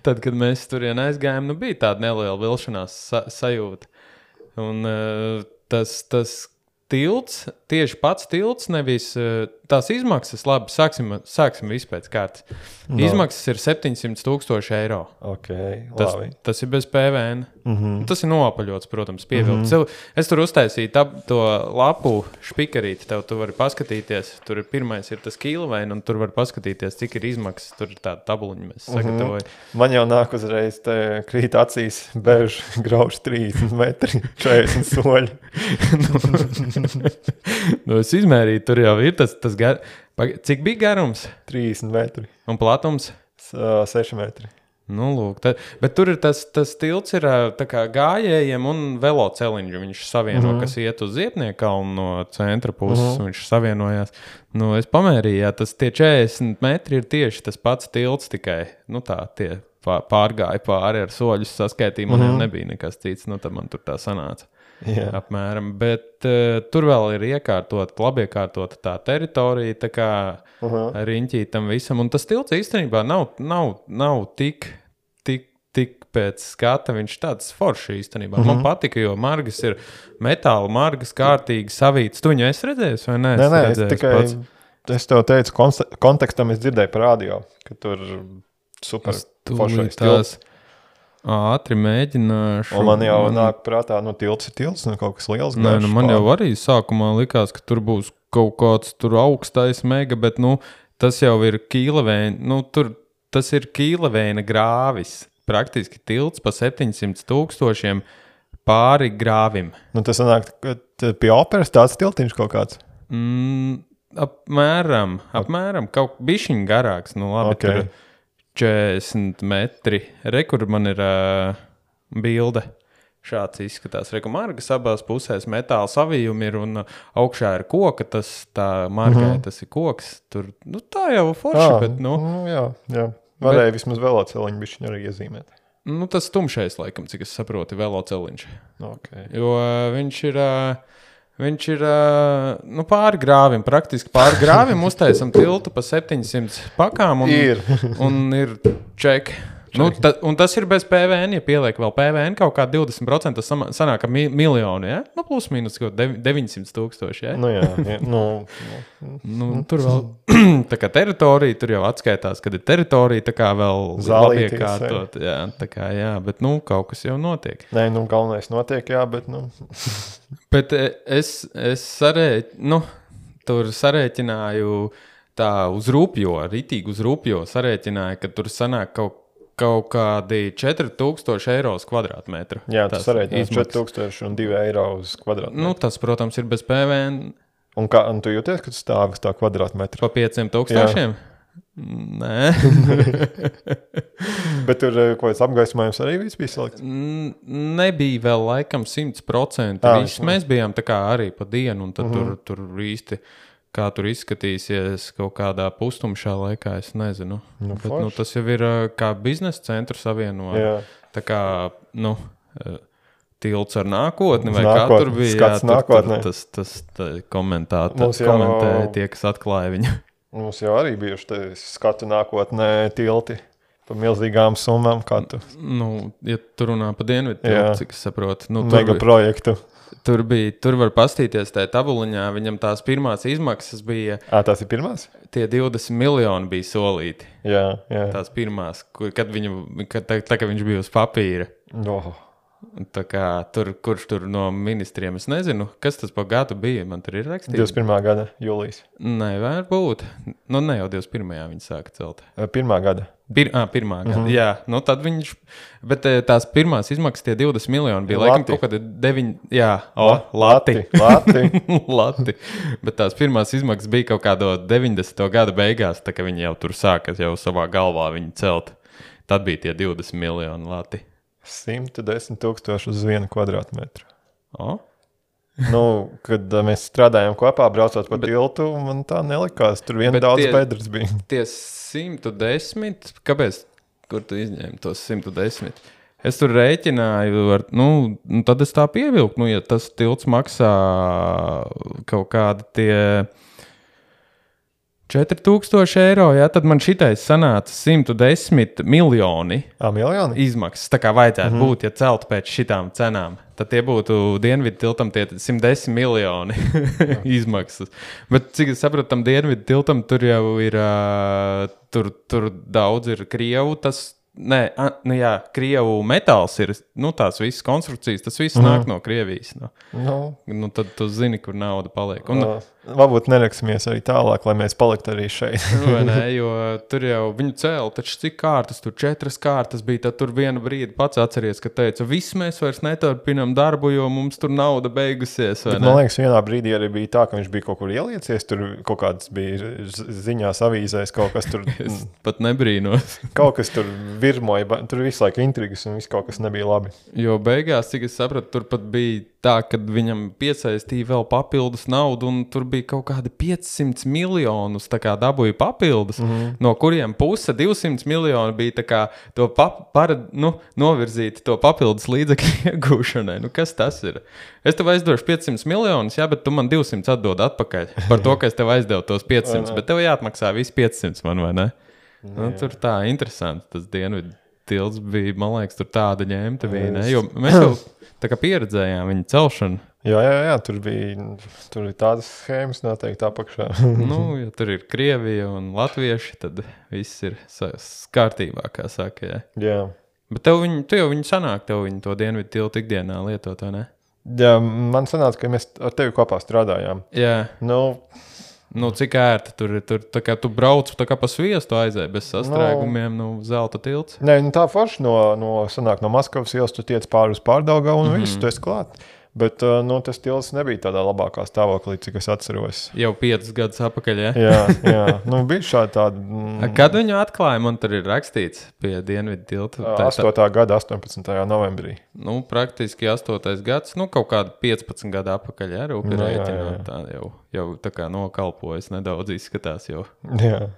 Speaker 1: tad, kad mēs turien aizgājām, bija tāda neliela vilšanās sajūta. Un tas tilts, tieši pats tilts, nevis tās izmaksas, labi, sāksim visu pēc kārtas. Izmaksas ir 700,000 eiro.
Speaker 2: Labi.
Speaker 1: Tas ir bez PVN. Tas ir noapaļots, protams, pievilkts. Es tur uztaisīju to lapu špikarīti, tu vari paskatīties, tur pirmais ir tas Kīleveina, un tur var paskatīties, cik ir izmaksas, tur ir tāda tabuliņa, mēs sagatavoju.
Speaker 2: Man jau nāk uzreiz krīt acīs, bež grauž 30 metri, 40 soļi.
Speaker 1: Es izmērīju, tur jau ir tas cik bija garums?
Speaker 2: 30 metri.
Speaker 1: Un platums?
Speaker 2: 6 metri.
Speaker 1: Lūk, bet tur ir tas tilts ir tā kā gājējiem un veloceliņš, viņš savieno, kas iet uz Ziepniekalnu no centra puses, viņš savienojās. Es pamērīju, tie 40 metri ir tieši tas pats tilts tikai, tie pārgāja pāri ar soļus saskaitīju, man nebija nekas cits, tad man tur tā sanāca. Apmēram, bet tur vēl ir labi iekārtota tā teritorija, tā kā riņķītam visam, un tas tilts īstenībā nav tik pēc skata, viņš tāds forši īstenībā. Man patika, jo margas ir metāla, margas kārtīgi savītas. Tu viņu esi redzējis vai ne?
Speaker 2: Nē, es tev teicu, kontekstam es dzirdēju par radio, ka tur super foršais tilts.
Speaker 1: Ātri mēģināšu.
Speaker 2: Un man jau nāk prātā, tilts ir tilts, kaut kas liels.
Speaker 1: Nē, man jau arī sākumā likās, ka tur būs kaut kāds tur augstais mega, bet tas jau ir Kīleveina, tas ir Kīleveina grāvis. Praktiski tilts pa 700,000 pāri grāvim.
Speaker 2: Tas sanāk, ka pie operas tāds tiltiņš kaut kāds?
Speaker 1: Apmēram, kaut bišķiņ garāks, labi, tur 40 metri. Kur man ir bilde. Šāds izskatās. Margas abās pusēs metāla savījumi ir un augšā ir koka, tā margai, tas ir koks. Tur, tā jau forši, bet,
Speaker 2: Jā. Varēja vismaz veloceliņu bišķiņu arī iezīmēt.
Speaker 1: Tas tumšais, laikam, cik es saprotu, veloceliņš. Jo viņš ir pāri grāvim, praktiski pāri grāvim uztaisam tiltu pa 700 pakām un ir ček. Nu, un tas ir bez PVN, ja pieliek vēl PVN kaut kā 20%, tas sanāk miljonu, ja? Nu, plus mīnus 900,000, ja?
Speaker 2: Nu, jā.
Speaker 1: Tur vēl tā kā teritorija, tur jau atskaitās, kad ir teritorija, tā kā vēl labiekārtot. Jā, tā kā, jā, bet, kaut kas jau notiek.
Speaker 2: Nē, galvenais notiek, jā, bet,
Speaker 1: Bet es tur sarēķināju tā uz rupjo, ritīgi uz rupjo sarēķināju, ka tur sanāk kaut kādi 4,000 eiro uz kvadrātmetru.
Speaker 2: Jā, tas sarēķinās 4,002 eiro uz kvadrātmetru.
Speaker 1: Tas, protams, ir bez PVN.
Speaker 2: Un tu jūties, ka tu stāvi uz tā kvadrātmetru?
Speaker 1: Pa 500,000? Nē.
Speaker 2: Bet tur kaut kāds apgaismojums arī viss bija salikts?
Speaker 1: Nebija vēl laikam 100%. Mēs bijām tā kā arī pa dienu, un tad tur īsti, kā tur izskatīsies kaut kādā pustumšā laikā, es nezinu. Bet, tas jau ir kā biznesa centru savienot. Tā kā, tilts ar nākotni, vai kā tur bija. Tas komentēja tie, kas atklāja viņu.
Speaker 2: Mums jau arī bijuši skatu nākotnē tilti pa milzīgām summām.
Speaker 1: Ja tu runā pa dienvidu tiltu, cik es saprotu.
Speaker 2: Mega projektu.
Speaker 1: Tur var pastīties tajā tabuliņā, viņam tās pirmās izmaksas bija...
Speaker 2: Tās ir pirmās?
Speaker 1: Tie 20 miljoni bija solīti.
Speaker 2: Jā.
Speaker 1: Tās pirmās, kad viņš bija uz papīra. Tā kā kurš tur no ministriem, es nezinu, kas tas pa gadu bija, man tur ir rakstīts.
Speaker 2: 21. gada jūlijas.
Speaker 1: Nē, varbūt. Ne jau 21. viņi sāka celt.
Speaker 2: Pirmā gada.
Speaker 1: Pirmā gada, jā. Tad viņš, bet tās pirmās izmaksas, tie 20 miljoni bija laikam kaut kāda 9, jā, lati. Lati. Bet tās pirmās izmaksas bija kaut kādo 90. gada beigās, tā ka viņi jau tur sāka jau savā galvā viņi celt. Tad bija tie 20 miljoni lati.
Speaker 2: 110,000 uz 1 kvadrātmetru. Kad mēs strādājām kopā, braucot pa tiltu, man tā nelikās. Tur daudz bedres bija.
Speaker 1: Tie 110, kāpēc? Kur tu izņēmi tos 110? Es tur rēķināju, tad es tā pievilku. Ja tas tilts maksā kaut kādi tie 4,000 eiro, tad man šitais sanāca 110 miljoni izmaksas. Tā kā vajadzētu būt, ja celtu pēc šitām cenām. Tad tie būtu dienvidu tiltam tie 110 miljoni izmaksas. Bet cik es saprotu, tam dienvidu tiltam tur jau ir, tur daudz ir Krievu, Krievu metāls ir, tās visas konstrukcijas, tas viss nāk no Krievijas. Tad tu zini, kur nauda paliek.
Speaker 2: Varbūt neraksimies arī tālāk, lai mēs paliktu arī šeit.
Speaker 1: Jo tur jau viņu cēla, taču cik kārtas, tur 4 kārtas bija, tad tur vienu brīdi pats atceries, ka teica, viss mēs vairs neturpinām darbu, jo mums tur nauda beigusies.
Speaker 2: Man liekas, vienā brīdī arī bija tā, ka viņš bija kaut kur ieliecies, tur kaut kāds bija ziņās avīzēs, kaut kas tur...
Speaker 1: Es pat nebrīnos.
Speaker 2: Kaut kas tur virmoja, tur visu laiku intrigas un viss kaut kas nebija labi.
Speaker 1: Jo beigās, cik es sapratu, tur pat bija tā, kad viņam piesaistīja vēl papildus naudu, un tur bija kaut kādi 500 miljonus tā kā dabūja papildus, no kuriem puse 200 miljoni bija tā kā to novirzīti to papildus līdzekļu iegūšanai. Kas tas ir? Es tev aizdošu 500 miljonus, jā, bet tu man 200 atdod atpakaļ par to, ka es tev aizdevu tos 500, bet tev jāatmaksā visi 500 man, vai ne? Tur tā interesanti, tas dienvidu tilts bija, man liekas, tur tāda ņemta bija, ne? Jo mēs jau tā kā pieredzējām viņa celšanu.
Speaker 2: Jā, tur ir tādas schēmas noteikti apakšā.
Speaker 1: Ja tur ir Krievija un latvieši, tad viss ir kārtībā, kā saka,
Speaker 2: jā.
Speaker 1: Bet tu jau viņu sanāk, tev viņu to dienvidu tiltu ikdienā lietot, vai ne?
Speaker 2: Jā, man sanāca, ka mēs ar tevi kopā strādājām.
Speaker 1: Jā. Cik ērti tur ir, tā kā tu brauc tā kā pa sviestu aizēji bez sastrēgumiem, zelta tilts.
Speaker 2: Nē, tā forši sanāk no Maskavas ielas, tu tiec pāri uz Pārdaugavu un viss, tu esi klāt. Bet tas tilts nebija tādā labākā stāvoklī, cik es atceros.
Speaker 1: Jau 5 gadus atpakaļ, ja?
Speaker 2: Jā. Bija šādi tādi...
Speaker 1: Kad viņu atklāja, man tur ir rakstīts pie dienvidu tilta.
Speaker 2: 8. gada 18. novembrī.
Speaker 1: Praktiski 8. gads, kaut kāda 15 gada atpakaļ, ja? Rūpi rēķināt, tā jau tā kā nokalpojas nedaudz izskatās jau.
Speaker 2: Jā.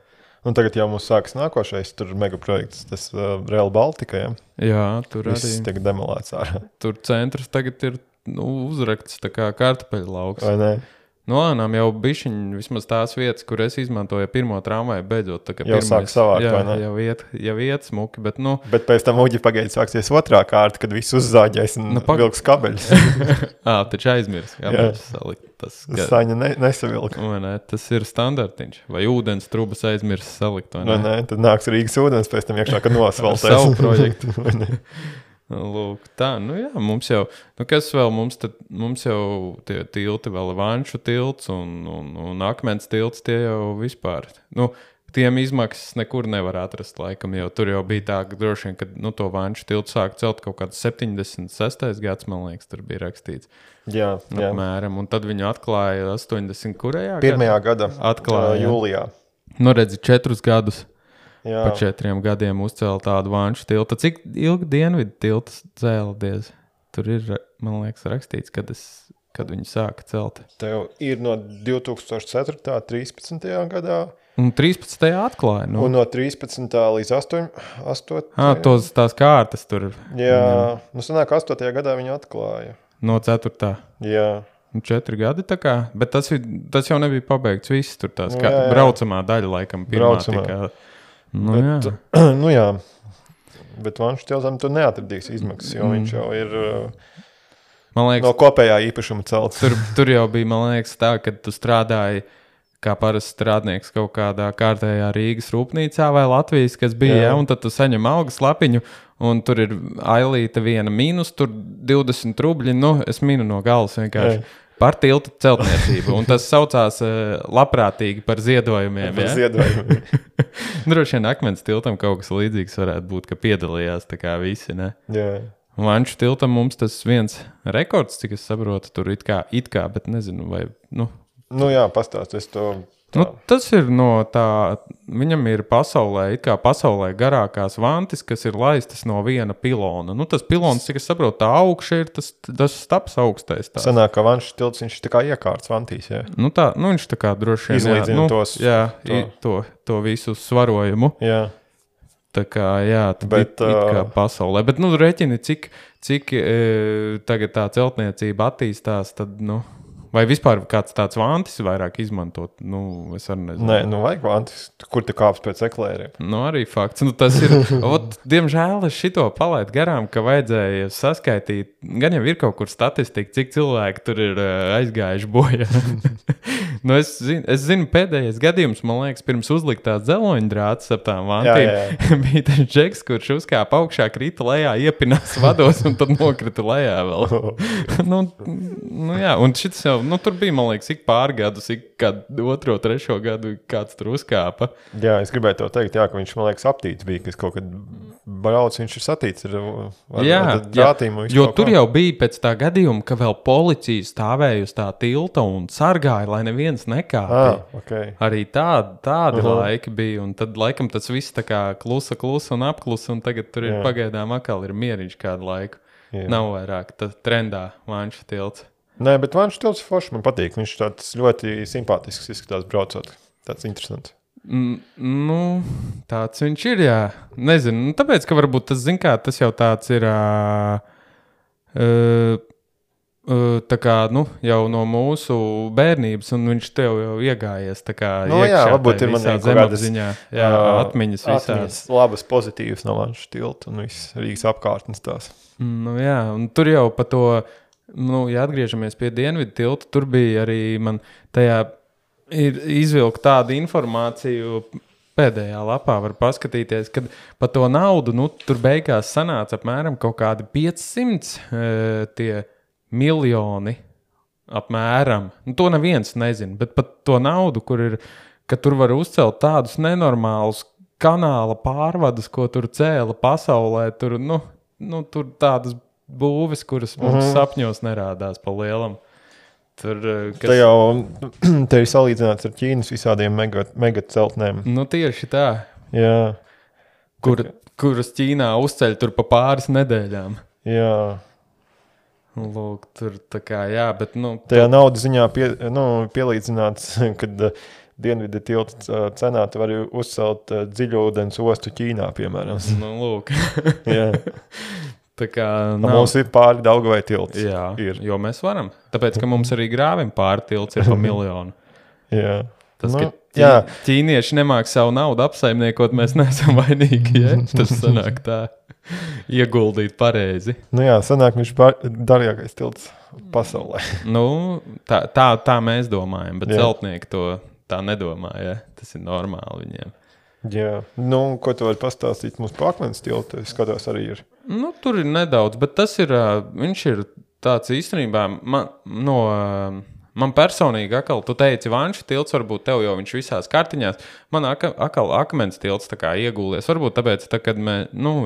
Speaker 2: Un tagad jau mums sākas nākošais, tur megaprojekts, tas Rail Baltica, ja?
Speaker 1: Jā, tur
Speaker 2: arī. Viss tiek demolēts ārā.
Speaker 1: Tur centrs tagad ir uzrakts tā kā kartupeļu lauks.
Speaker 2: Vai ne?
Speaker 1: Lēnām jau bišķiņ vismaz tās vietas, kur es izmantoju pirmo tramvaju, beidzot. Tā,
Speaker 2: jau sāk savākt, vai ne?
Speaker 1: Jau iet smuki, bet
Speaker 2: Bet pēc tam uģi pagaidzi sāksies otrā kārta, kad viss uzzāģēs un vilks kabeļus.
Speaker 1: Taču aizmirs, kabeļus salikt.
Speaker 2: Saņa nesavilka.
Speaker 1: Ne, tas ir standartiņš. Vai ūdens trubas aizmirs salikt, vai ne?
Speaker 2: Nē, tad nāks Rīgas ūdens pēc tam iekšā, kad nosvaltēs.
Speaker 1: Savu projektu. Lūk, tā, jā, mums jau, kas vēl, mums jau tie tilti vēl Vanšu tilts un Akmens tilts, tie jau vispār, tiem izmaksas nekur nevar atrast laikam, jo tur jau bija tā, ka droši vien, kad, to Vanšu tiltu sāk celt kaut kāds 76. gads, man liekas, tur bija rakstīts.
Speaker 2: Jā.
Speaker 1: Apmēram, un tad viņu atklāja 80 kurajā?
Speaker 2: Pirmajā gada
Speaker 1: atklāja,
Speaker 2: jūlijā.
Speaker 1: Redzi, 4 gadus. Jā. Pa 4 gadiem uzcēla tādu Vanšu tiltu. Cik ilgi Dienvidu tiltas cēladies? Tur ir, man liekas, rakstīts, kad viņi sāka celt.
Speaker 2: Tev ir no 2004. 13. gadā.
Speaker 1: Un 13. atklāja.
Speaker 2: Un no 13. līdz 8.
Speaker 1: Tās kārtas tur.
Speaker 2: Jā, sanāk 8. gadā viņi atklāja.
Speaker 1: No 4.
Speaker 2: Jā.
Speaker 1: 4 gadi tā kā, bet tas jau nebija pabeigts viss tur tās kā braucamā daļa laikam pirmā tikā. Jā. Bet Vanšu tiltam tu neatradīs izmaksas, jo viņš jau ir man liekas, no kopējā īpašuma celts. Tur jau bija, man liekas, tā, kad tu strādāji kā parasts strādnieks kaut kādā kārtējā Rīgas rūpnīcā vai Latvijas, kas bija, un tad tu saņem algas lapiņu, un tur ir ailīta viena mīnus, tur 20 rubļi, es minu no galas vienkārši. Par tiltu celtniecību, un tas saucās labprātīgi par ziedojumiem.
Speaker 2: Par ziedojumiem.
Speaker 1: Droši vien Akmens tiltam kaut kas līdzīgs varētu būt, ka piedalījās tā kā visi, ne?
Speaker 2: Jā.
Speaker 1: Vanšu tiltam mums tas viens rekords, cik es saprotu, tur it kā, bet nezinu, vai,
Speaker 2: jā, pastāst, es to...
Speaker 1: tas ir no tā, viņam ir pasaulē garākās vantis, kas ir laistas no viena pilona. Tas pilons, cik es saprotu, tā augša ir tas staps augstais. Tās.
Speaker 2: Sanāk, ka Vanšu tilts, viņš tā kā iekārts vantīs, jā?
Speaker 1: Viņš tā kā droši vien...
Speaker 2: Izlīdzina
Speaker 1: to visu svarojumu.
Speaker 2: Jā.
Speaker 1: Tā kā, tad it kā pasaulē. Bet, reķini, cik tagad tā celtniecība attīstās, tad, vai vispār kāds tāds vantis vairāk izmantot? Es arī nezinu.
Speaker 2: Nē, vajag vantis, kur te kāps pēc eklēriem.
Speaker 1: Arī fakts. Tas ir, diemžēl es šito palaidu garām, ka vajadzēja saskaitīt, gan jau ir kaut kur statistika, cik cilvēki tur ir aizgājuši bojā. Es zinu, pēdējais gadījums, man liekas, pirms uzliktās dzeloņdrātas ap tām vantīm, bija tas džeks, kurš uzkāpa augšā, krita lejā, iepinās vados un tad nokrita lejā vēl. Un šis jau, tur bija, man liekas, ik pārgadus, ik kādu 2, 3 gadu kāds tur uzkāpa.
Speaker 2: Jā, es gribēju tev teikt, ka viņš, man liekas, aptīts bija, kas kaut kad brauc, viņš ir satīts ar drātīm.
Speaker 1: Jo tur jau bija pēc tā gadījuma, ka vēl policija stāvēja uz tā tilta un sargāja, lai neviens nekāpja.
Speaker 2: Okay.
Speaker 1: Arī tādi laiki bija, un tad laikam tas viss tā kā klusa un apklusa, un tagad tur ir pagaidām atkal ir mieriņš kādu laiku. Jā. Nav vairāk trendā Vanšu tilts.
Speaker 2: Nē, bet Vanšu tilts forši man patīk. Viņš tāds ļoti simpātisks izskatās braucot. Tāds interesants.
Speaker 1: Tāds viņš ir, jā. Nezinu, tāpēc, ka varbūt tas, tas jau tāds ir tā kā, jau no mūsu bērnības, un viņš tev jau iegājies tā kā iekšā.
Speaker 2: Varbūt ir man
Speaker 1: zemapziņā. Atmiņas visās.
Speaker 2: Labas, pozitīvas no Vanšu tilta un viss Rīgas apkārtnes tās.
Speaker 1: Un tur jau pa to... ja atgriežamies pie Dienvidu tilta, tur bija arī man tajā ir izvilkt tādu informāciju, pēdējā lapā var paskatīties, kad pa to naudu, tur beigās sanāca apmēram kaut kādi 500 tie miljoni apmēram. To neviens nezina, bet pat to naudu, ka tur var uzcelt tādus nenormālus kanāla pārvadus, ko tur cēla pasaulē, tur tādas būves, kuras mums sapņos nerādās pa lielam. Tur,
Speaker 2: Te ir salīdzināts ar Ķīnas visādiem mega celtnēm.
Speaker 1: Tieši tā.
Speaker 2: Jā.
Speaker 1: Kuras Ķīnā uzceļ tur pa pāris nedēļām.
Speaker 2: Jā.
Speaker 1: Lūk, tur tā kā, jā, bet,
Speaker 2: tajā naudas ziņā pielīdzināts, kad Dienvidu tilta cenā tu vari uzcelt dziļūdens ostu Ķīnā, piemēram.
Speaker 1: Lūk.
Speaker 2: Jā.
Speaker 1: Tā kā
Speaker 2: mums ir pāri Daugavai tilts.
Speaker 1: Jā, jo mēs varam. Tāpēc, ka mums arī grāvim pāri tilts ir pa 1 miljonu.
Speaker 2: Jā.
Speaker 1: Tas, ka ķīnieši nemāk savu naudu apsaimniekot, mēs neesam vainīgi, ja? Tas sanāk tā ieguldīt pareizi.
Speaker 2: Sanāk viņš darīgākais tilts pasaulē.
Speaker 1: Tā mēs domājam, bet celtnieki to tā nedomā, ja? Tas ir normāli viņiem.
Speaker 2: Jā, ko tu vari pastāstīt mums par Akmens tiltu? Es skatos arī ir.
Speaker 1: Tur ir nedaudz, bet tas ir, viņš ir tāds īstenībā, man personīgi atkal, tu teici, Vanša tilts, varbūt tev jau viņš visās kartiņās, man atkal Akmens tilts tā kā iegūlies, varbūt tāpēc, kad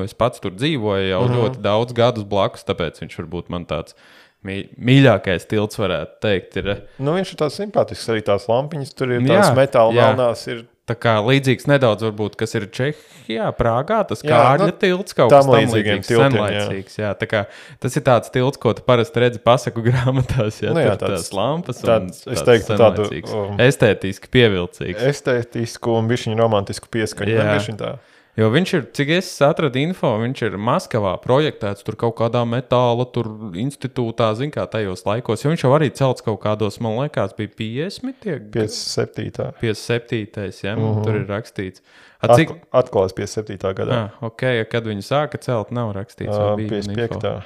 Speaker 1: es pats tur dzīvoju jau ļoti daudz gadus blakus, tāpēc viņš varbūt man tāds mīļākais tilts varētu teikt ir.
Speaker 2: Viņš ir tāds simpātisks, arī tās lampiņas, tur ir tās metāla melnās ir.
Speaker 1: Tā kā līdzīgs nedaudz varbūt, kas ir Čehijā, Prāgā, tas Kārļa tilts kaut kas tam līdzīgs, senlaicīgs. Jā, tā kā tas ir tāds tilts, ko tu parasti redzi pasaku grāmatās, ja tur tās lampas un tāds senlaicīgs. Estētiski pievilcīgs.
Speaker 2: Estētisku un bišķiņu romantisku pieskaņu. Jā.
Speaker 1: Jo viņš ir, cik es atradu info, viņš ir Maskavā projektēts tur kaut kādā metāla tur institūtā, zin kā tajos laikos, jo viņš jau arī celts kaut kādos, man liekas, bija 50.
Speaker 2: 57.
Speaker 1: 57. Ja, tur ir rakstīts.
Speaker 2: Atklās 57. gadā.
Speaker 1: Ok, kad viņi sāka celt, nav rakstīts.
Speaker 2: 55.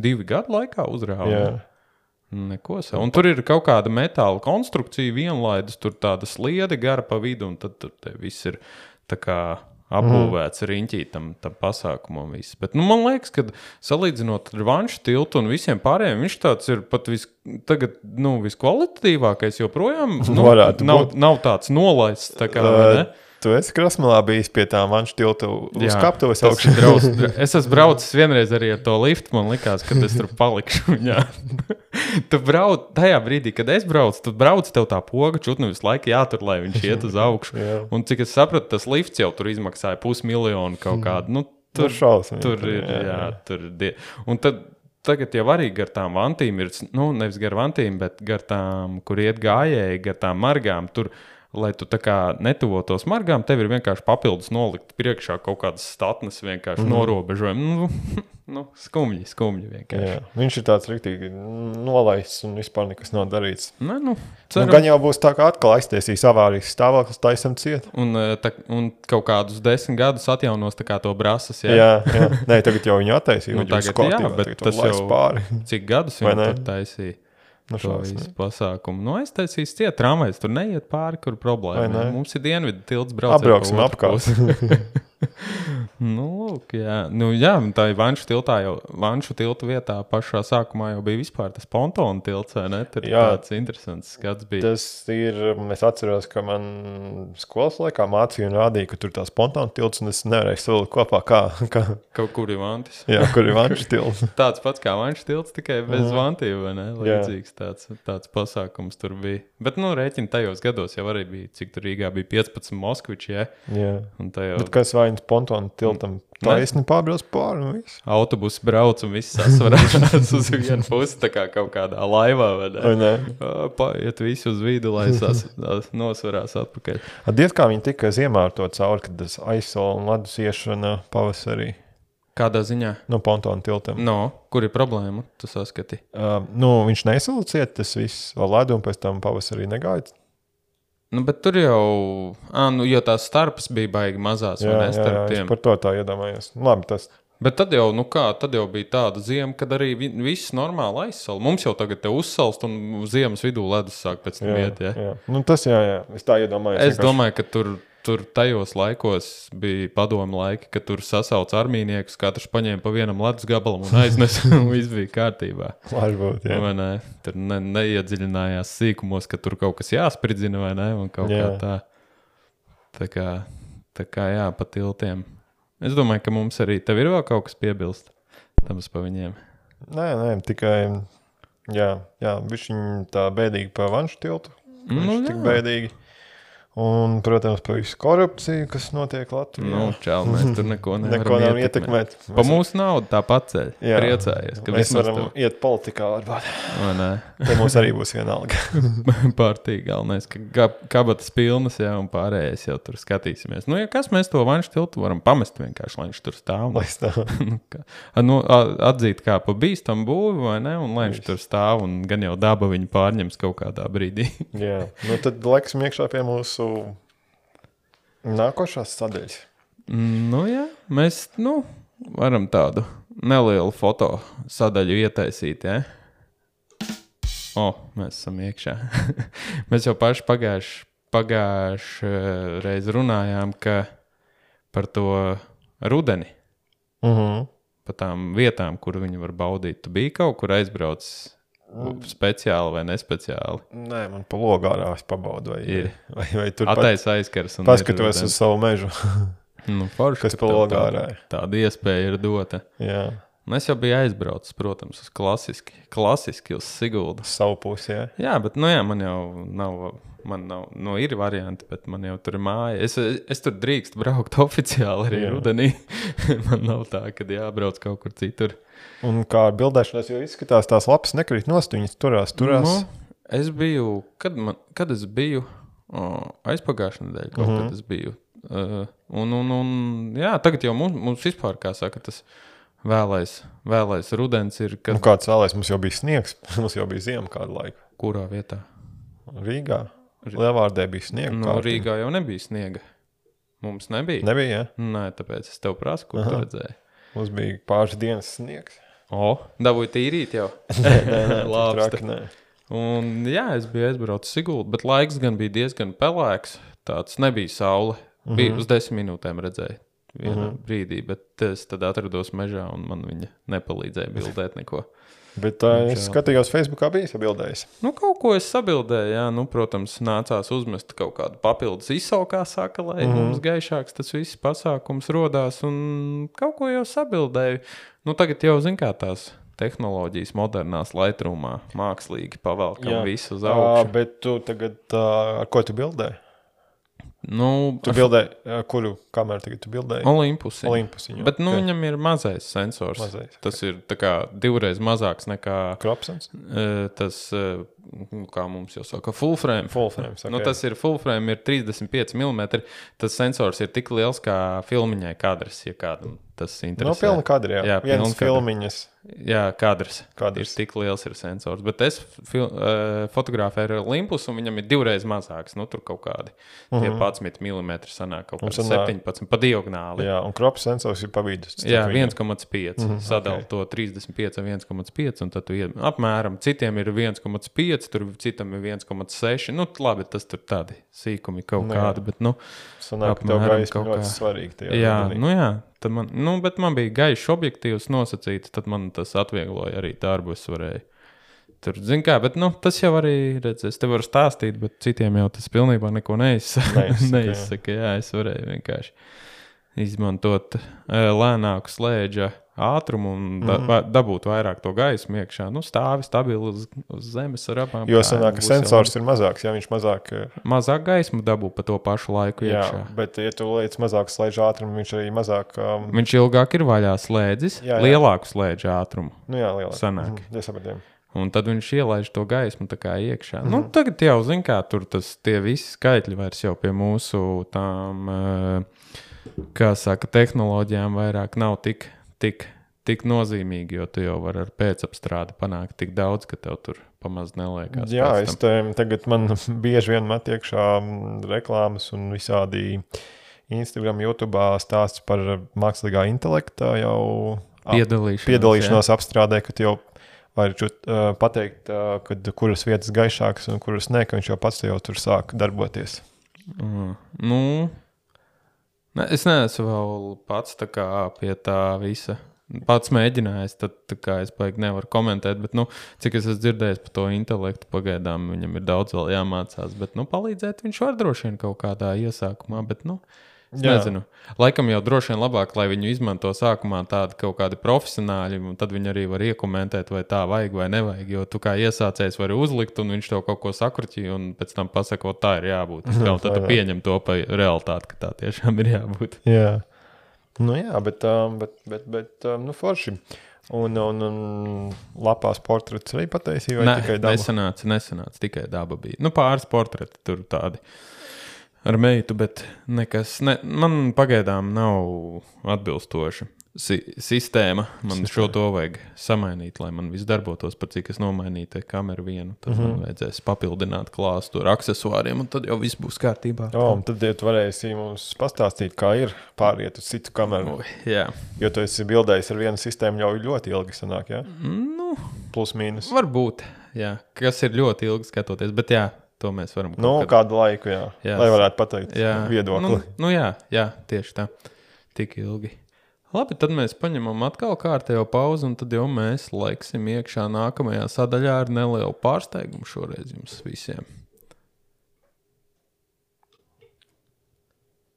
Speaker 1: 2 gadu laikā uzrāva. Jā. Neko savu. Un tur ir kaut kāda metāla konstrukcija, vienlaidus, tur tāda sliede gara pa vidu, un tad tur viss ir tā kā apbūvēts riņķī tam pasākumam viss. Bet, man liekas, ka salīdzinot ar Vanšu tiltu un visiem pārējiem, viņš tāds ir pat tagad, viskvalitatīvākais joprojām. Nav tāds nolaists, tā kā, vai ne?
Speaker 2: Tu esi Krasmalā bijis pie tā Vanšu tiltu uzkaptos
Speaker 1: augšā. Es esmu braucis vienreiz arī ar to liftu, man likās, ka es tur palikšu. Tu brauc, tajā brīdī, kad es braucu, tu brauc, tev tā poga čutni visu laiku jātur, lai viņš iet uz augšu. Un cik es sapratu, tas lifts jau tur izmaksāja 500 000 kaut kādu.
Speaker 2: Tur šausmīgi.
Speaker 1: Tur ir, tur ir. Un tagad jau arī gar tām vantīm ir, nevis gar vantīm, bet gar tām, kur iet gājēji, gar tām margām, tur, lai tu tā kā netuvotos margām, tev ir vienkārši papildus nolikt priekšā kaut kādas statnes vienkārši norobežojumi. Skumji vienkārši. Jā,
Speaker 2: viņš ir tāds riktīgi nolaists un vispār nekas nav darīts.
Speaker 1: Gan
Speaker 2: jau būs tā, kā atkal aiztiesīs avārijas stāvoklis, taisam ciet.
Speaker 1: Un kaut kādus 10 gadus atjaunos tā kā to brasas.
Speaker 2: Jā. Nē, tagad jau viņu attaisīja.
Speaker 1: Bet tas jau pāri. Cik gadus viņu tur taisīja? To visu pasākumu. Aiztaisīs ciet, tramvajs tur neiet pāri, kur problēma. Mums ir dienvidu tilts brauc.
Speaker 2: Apbrauksim apkārt.
Speaker 1: Lūk, jā. Tā ir Vanšu tilta vietā pašā sākumā jau bija vispār tas pontona tilts, vai ne? Tur tāds interesants skats bija.
Speaker 2: Tas ir, es atceros, ka man skolas laikā mācīja un rādīja, ka tur tās pontona tilts, un es nevarēju savilkt kopā, kā...
Speaker 1: Kaut kur ir vantis.
Speaker 2: Jā, kur ir Vanšu tilts.
Speaker 1: Tāds pats kā Vanšu tilts, tikai bez vantīm, vai ne? Līdzīgs tāds pasākums tur bija. Bet, rēķini tajos gados jau arī bija, cik tur Rīgā bija 15 moskviči, ja?
Speaker 2: Jā. Bet kas vainas pontona tiltam taisni pārbrauc pāri un viss?
Speaker 1: Autobusi brauc un viss sasvarās uz vienu pusi, tā kā kaut kādā laivā, vai ne? Paiet visi uz vidu, lai nosvarās atpakaļ.
Speaker 2: Diez kā viņi tika ziemā ar to cauri, kad tas aizsola un ledus iešana pavasarī.
Speaker 1: Kādā ziņā?
Speaker 2: No pontona tiltam.
Speaker 1: Kur ir problēma? Tu saskati?
Speaker 2: Viņš nesaliciet tas viss ar ledu un pēc tam pavasarī negāja.
Speaker 1: Bet tur jau, jo tās starpas bija baigi mazās, vai ne, starp tiem.
Speaker 2: Jā, par to tā iedomājos. Labi, tas...
Speaker 1: Bet tad jau, tad jau bija tāda ziema, kad arī viss normāli aizsala. Mums jau tagad te uzsalst un ziemas vidū ledus sāk pēc tam iet, ja?
Speaker 2: Jā. Tas jā. Es tā iedomājos.
Speaker 1: Es domāju, ka tur tajos laikos bija padomu laiki, kad tur sasauc armīniekus, katrs paņēma pa vienam ledus gabalam un aiznes, un viss bija kārtībā.
Speaker 2: Varbūt, jā.
Speaker 1: Vai ne? Tur neiedziļinājās sīkumos, ka tur kaut kas jāspridzina, vai ne? Un kaut kā tā. Tā kā jā, pa tiltiem. Es domāju, ka mums arī tev ir vēl kaut kas piebilst tams pa viņiem. Nē,
Speaker 2: tikai, jā, viņš tā bēdīgi pa Vanšu tiltu. Viņš tik bēdīgi. Un, protams, par visu korupciju, kas notiek Latvijā.
Speaker 1: Nu, čau, mēs tur neko nevaram ietekmēt. Pa mūsu naudu tā pacēļ. Priecājies, ka
Speaker 2: mēs varam iet politikā varbūt. Te mums arī būs vienalga.
Speaker 1: Pārtīgi galvenais, ka kabatas pilnas, jā, un pārējais jau tur skatīsimies. Nu, ja kas mēs to Vanšu tiltu varam pamest vienkārši, lai viņš tur stāv. Atzīt kā pa bīstam būvi, vai ne? Un lai viņš tur stāv, un gan jau daba viņu pārņems kaut kādā brīdī.
Speaker 2: Jā, nu tad laiksim iekšā pie mūsu nākošās sadaļas.
Speaker 1: Nu jā, mēs, varam tādu nelielu foto sadaļu ietaisīt, ja? Mēs esam iekšā. Mēs jau paši pagājuši reiz runājām, ka par to rudeni, pa tām vietām, kur viņi var baudīt. Tu biji kaut kur aizbraucis speciāli vai nespeciāli?
Speaker 2: Nē, man pa Logārā es pabaudu, vai tur
Speaker 1: aizkars.
Speaker 2: Paskatos uz savu mežu.
Speaker 1: Forši,
Speaker 2: kas pa Logārā.
Speaker 1: Tāda iespēja ir dota.
Speaker 2: Jā.
Speaker 1: Un es jau biju aizbraucis, protams, uz klasiski uz Siguldu.
Speaker 2: Savu pusi, jā.
Speaker 1: Jā, bet, man jau nav, ir varianti, bet man jau tur ir māja. Es tur drīkst braukt oficiāli arī rudenī. Man nav tā, kad jābrauc kaut kur citur.
Speaker 2: Un kā bildēšanās jau izskatās, tās lapas nekrīt nost, viņas turās.
Speaker 1: Es biju, kad es biju, aizpagājušā nedēļa kaut kad es biju. Jā, tagad jau mums vispār, kā saka, tas vēlais rudens ir.
Speaker 2: Kad... Kāds vēlais? Mums jau bija sniegs, mums jau bija ziema kādu laiku.
Speaker 1: Kurā vietā?
Speaker 2: Rīgā. Lielvārdē bija sniega.
Speaker 1: Rīgā jau nebija sniega. Mums nebija.
Speaker 2: Nebija, jā?
Speaker 1: Nē, tāpēc es tev prasu, kur tu redzēji.
Speaker 2: Mums bija pāris dienas sniegs.
Speaker 1: Dabūju tīrīt jau.
Speaker 2: Nē, traki, nē.
Speaker 1: Un jā, es biju aizbraucis Siguldu, bet laiks gan bija diezgan pelēks. Tāds nebija saule. Bija uz 10 minūtēm redzēju vienā brīdī, bet es tad atrados mežā un man viņa nepalīdzēja bildēt neko.
Speaker 2: Bet es skatījos Facebookā, bija sabildējis.
Speaker 1: Kaut ko es sabildēju, jā. Protams, nācās uzmest kaut kādu papildus ISO, kā saka, lai mums gaišāks tas viss pasākums rodās, un kaut ko jau sabildēju. Tagad jau, kā tās tehnoloģijas modernās Lightroomā mākslīgi pavelkam visu uz augšu.
Speaker 2: Bet tu tagad, ar ko tu bildēji? Tu bildēji, kuru kameru tagad tu bildēji?
Speaker 1: Olimpusiņu. Bet viņam ir mazais sensors. Tas ir tā kā 2 reizes mazāks nekā...
Speaker 2: Kropsens?
Speaker 1: Tas, kā mums jau saka, full frame.
Speaker 2: Okay.
Speaker 1: Tas ir full frame, ir 35 mm. Tas sensors ir tik liels kā filmiņai kadrs, ja kādam tas interesē.
Speaker 2: Pilna kadri, jā. Viens filmiņas.
Speaker 1: Jā, kadrs. Ir tik liels ir sensors. Bet es fotografēju ar Olympus, un viņam ir 2 reizes mazāks. Tur kaut kādi 11 mm sanāk, kaut kādi 17 pa diagonāli.
Speaker 2: Jā, un krops sensors ir pa vidus.
Speaker 1: Jā, 1,5. Sadala to 35 ar 1,5, un tad tu apmēram citiem ir 1,5, tur citam ir 1,6. Labi, tas tur tādi sīkumi kaut kādi, bet,
Speaker 2: sanāk, tev gaisma ļoti svarīgi.
Speaker 1: Jā, bet man bija gaišs objektīvs nosacīts, tad man tas atviegloja arī darbu, es varēju. Tur, bet tas jau arī, es te varu stāstīt, bet citiem jau tas pilnībā neko neizsaka. Jā, es varēju vienkārši izmantot lēnāku slēdža ātrumu un dabūt vairāk to gaismu iekšā. Stāvi stabili uz zemes ar abām.
Speaker 2: Jo sanāk, ka sensors ir mazāks, ja viņš
Speaker 1: mazāk gaismu dabū pa to pašu laiku iekšā.
Speaker 2: Jā, bet ja tu liec mazāk slēdža ātrumu, viņš arī mazāk...
Speaker 1: Viņš ilgāk ir vaļā slēdzis, lielāku slēdža ātrumu.
Speaker 2: Jā, lielāk.
Speaker 1: Sanāk.
Speaker 2: Sapratiem.
Speaker 1: Un tad viņš ielaiž to gaismu tā kā iekšā. Tagad jau, kā tur tie visi skaitļi vairs jau pie mūsu tām, kā saka, tehnoloģijām vairāk nav tik nozīmīgi, jo tu jau vari ar pēcapstrādi panākt tik daudz, ka tev tur pamaz neliekās.
Speaker 2: Jā, tagad man bieži vien met iekšā reklāmas un visādi Instagram, YouTube stāsts par mākslīgā intelekta jau piedalīšanos apstrādē, ka tu jau vari pateikt, kuras vietas gaišākas un kuras ne, ka viņš jau pats jau tur sāk darboties.
Speaker 1: Es neesmu vēl pats tā kā pie tā visa. Pats mēģinājis, tad tā kā es baigi nevaru komentēt, bet, cik es esmu dzirdējis par to intelektu, pagaidām viņam ir daudz vēl jāmācās, bet, palīdzēt viņš var droši vien kaut kādā iesākumā, bet, Nezinu. Laikam jau droši vien labāk, lai viņu izmanto sākumā tādi kaut kādi profesionāļi, un tad viņi arī var iekomentēt, vai tā vajag vai nevajag, jo tu kā iesācējs vari uzlikt, un viņš tev kaut ko sakurķi, un pēc tam pasaka, tā ir jābūt. Un tad tu pieņem to pa realitāti, ka tā tiešām ir jābūt.
Speaker 2: Jā, bet forši. Un lapās portrets arī pataisīja, vai tikai daba?
Speaker 1: Nesanāca, tikai daba bija. Pāris portreti tur tādi ar meitu, bet nekas, man pagaidām nav atbilstoša sistēma. Man šo to vajag samainīt, lai man viss darbotos, pat cik es nomainīju te kameru vienu. Tad man vajadzēs papildināt klāstu ar aksesuāriem, un tad jau viss būs kārtībā.
Speaker 2: Un tad tu varēsi mums pastāstīt, kā ir pāriet uz citu kameru.
Speaker 1: Jā.
Speaker 2: Jo tu esi bildējis ar vienu sistēmu jau ļoti ilgi sanāk, jā? Plus mīnus.
Speaker 1: Varbūt, jā. Kas ir ļoti ilgi skatoties, bet jā. To mēs varam
Speaker 2: kādu laiku, jā. Lai varētu pateikt viedokli.
Speaker 1: Jā, tieši tā. Tik ilgi. Labi, tad mēs paņemam atkal kārtējo pauzi, un tad jau mēs laiksim iekšā nākamajā sadaļā ar nelielu pārsteigumu šoreiz jums visiem.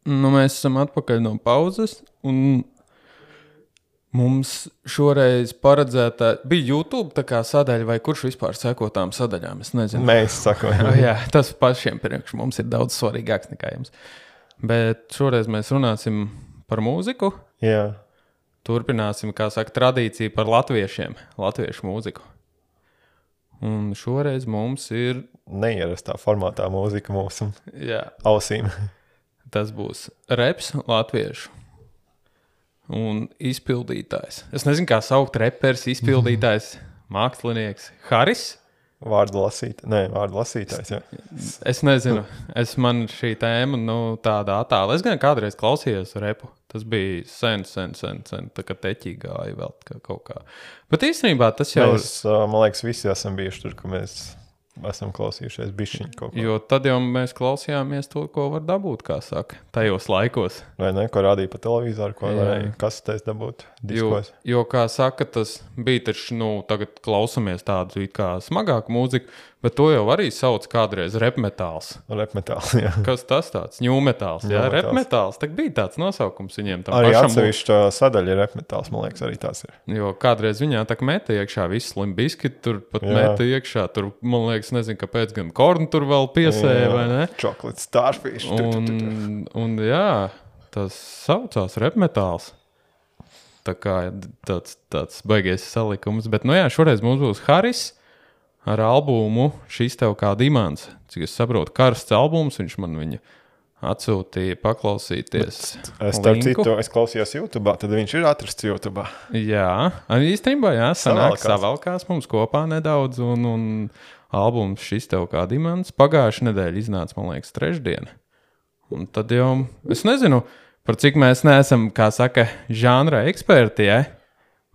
Speaker 1: Mēs esam atpakaļ no pauzes, un mums šoreiz paredzēta bija YouTube tā kā sadaļa, vai kurš vispār seko tām sadaļām, es nezinu.
Speaker 2: Mēs sakojam.
Speaker 1: Jā, tas pašiem priekš mums ir daudz svarīgāks nekā jums. Bet šoreiz mēs runāsim par mūziku.
Speaker 2: Jā.
Speaker 1: Turpināsim, kā saka, tradīciju par latviešu mūziku. Un šoreiz mums ir
Speaker 2: neierastā formātā mūzika mūsu ausīm.
Speaker 1: Tas būs reps latviešu. Un izpildītājs. Es nezinu, kā saukt reperis, izpildītājs, mākslinieks. Haris?
Speaker 2: Vārdu lasītājs, jā.
Speaker 1: Es nezinu. Man šī tēma, tāda attāla. Es gan kādreiz klausījos repu. Tas bija sen, tā kā teķī gāja vēl kaut kā. Bet īstenībā tas jau...
Speaker 2: Mēs, man liekas, visi esam bijuši tur, ka mēs esam klausījušies bišķiņu kaut ko.
Speaker 1: Jo tad jau mēs klausījāmies to, ko var dabūt, kā saka, tajos laikos.
Speaker 2: Vai ne, ko rādīja pa televizoru, ko varēja kasetēs dabūt diskos.
Speaker 1: Jo, kā saka, tas bija taču, tagad klausamies tādu it kā smagāku mūziku, bet to jau arī sauc kādreiz repmetāls.
Speaker 2: Repmetāls, jā.
Speaker 1: Kas tas tāds? Ņūmetāls, jā, repmetāls. Tak bija tāds nosaukums viņiem tam
Speaker 2: arī
Speaker 1: pašam.
Speaker 2: Arī atsevišķa sadaļa ir repmetāls, man liekas, arī tās ir.
Speaker 1: Jo kādreiz viņā tak meta iekšā viss Limp Bizkit, tur pat meta iekšā, tur, man liekas, nezinu, kāpēc gan Korn tur vēl piesēja, vai ne?
Speaker 2: Chocolate Starfish.
Speaker 1: Un jā, tas saucās repmetāls. Tā kā tāds baigies salikums. Bet, šoreiz mums būs Haris ar albumu Šis tev kā dimants. Cik es saprotu, karsts albums, viņš man viņu atsūtīja paklausīties.
Speaker 2: Es klausījos YouTube, tad viņš ir atrasts YouTube.
Speaker 1: Jā, īstenībā, savalkās mums kopā nedaudz, un albums Šis tev kā dimants pagājušajā nedēļā iznāca, man liekas, trešdiena. Un tad jau, es nezinu, par cik mēs neesam, kā saka, žanra eksperti, ja?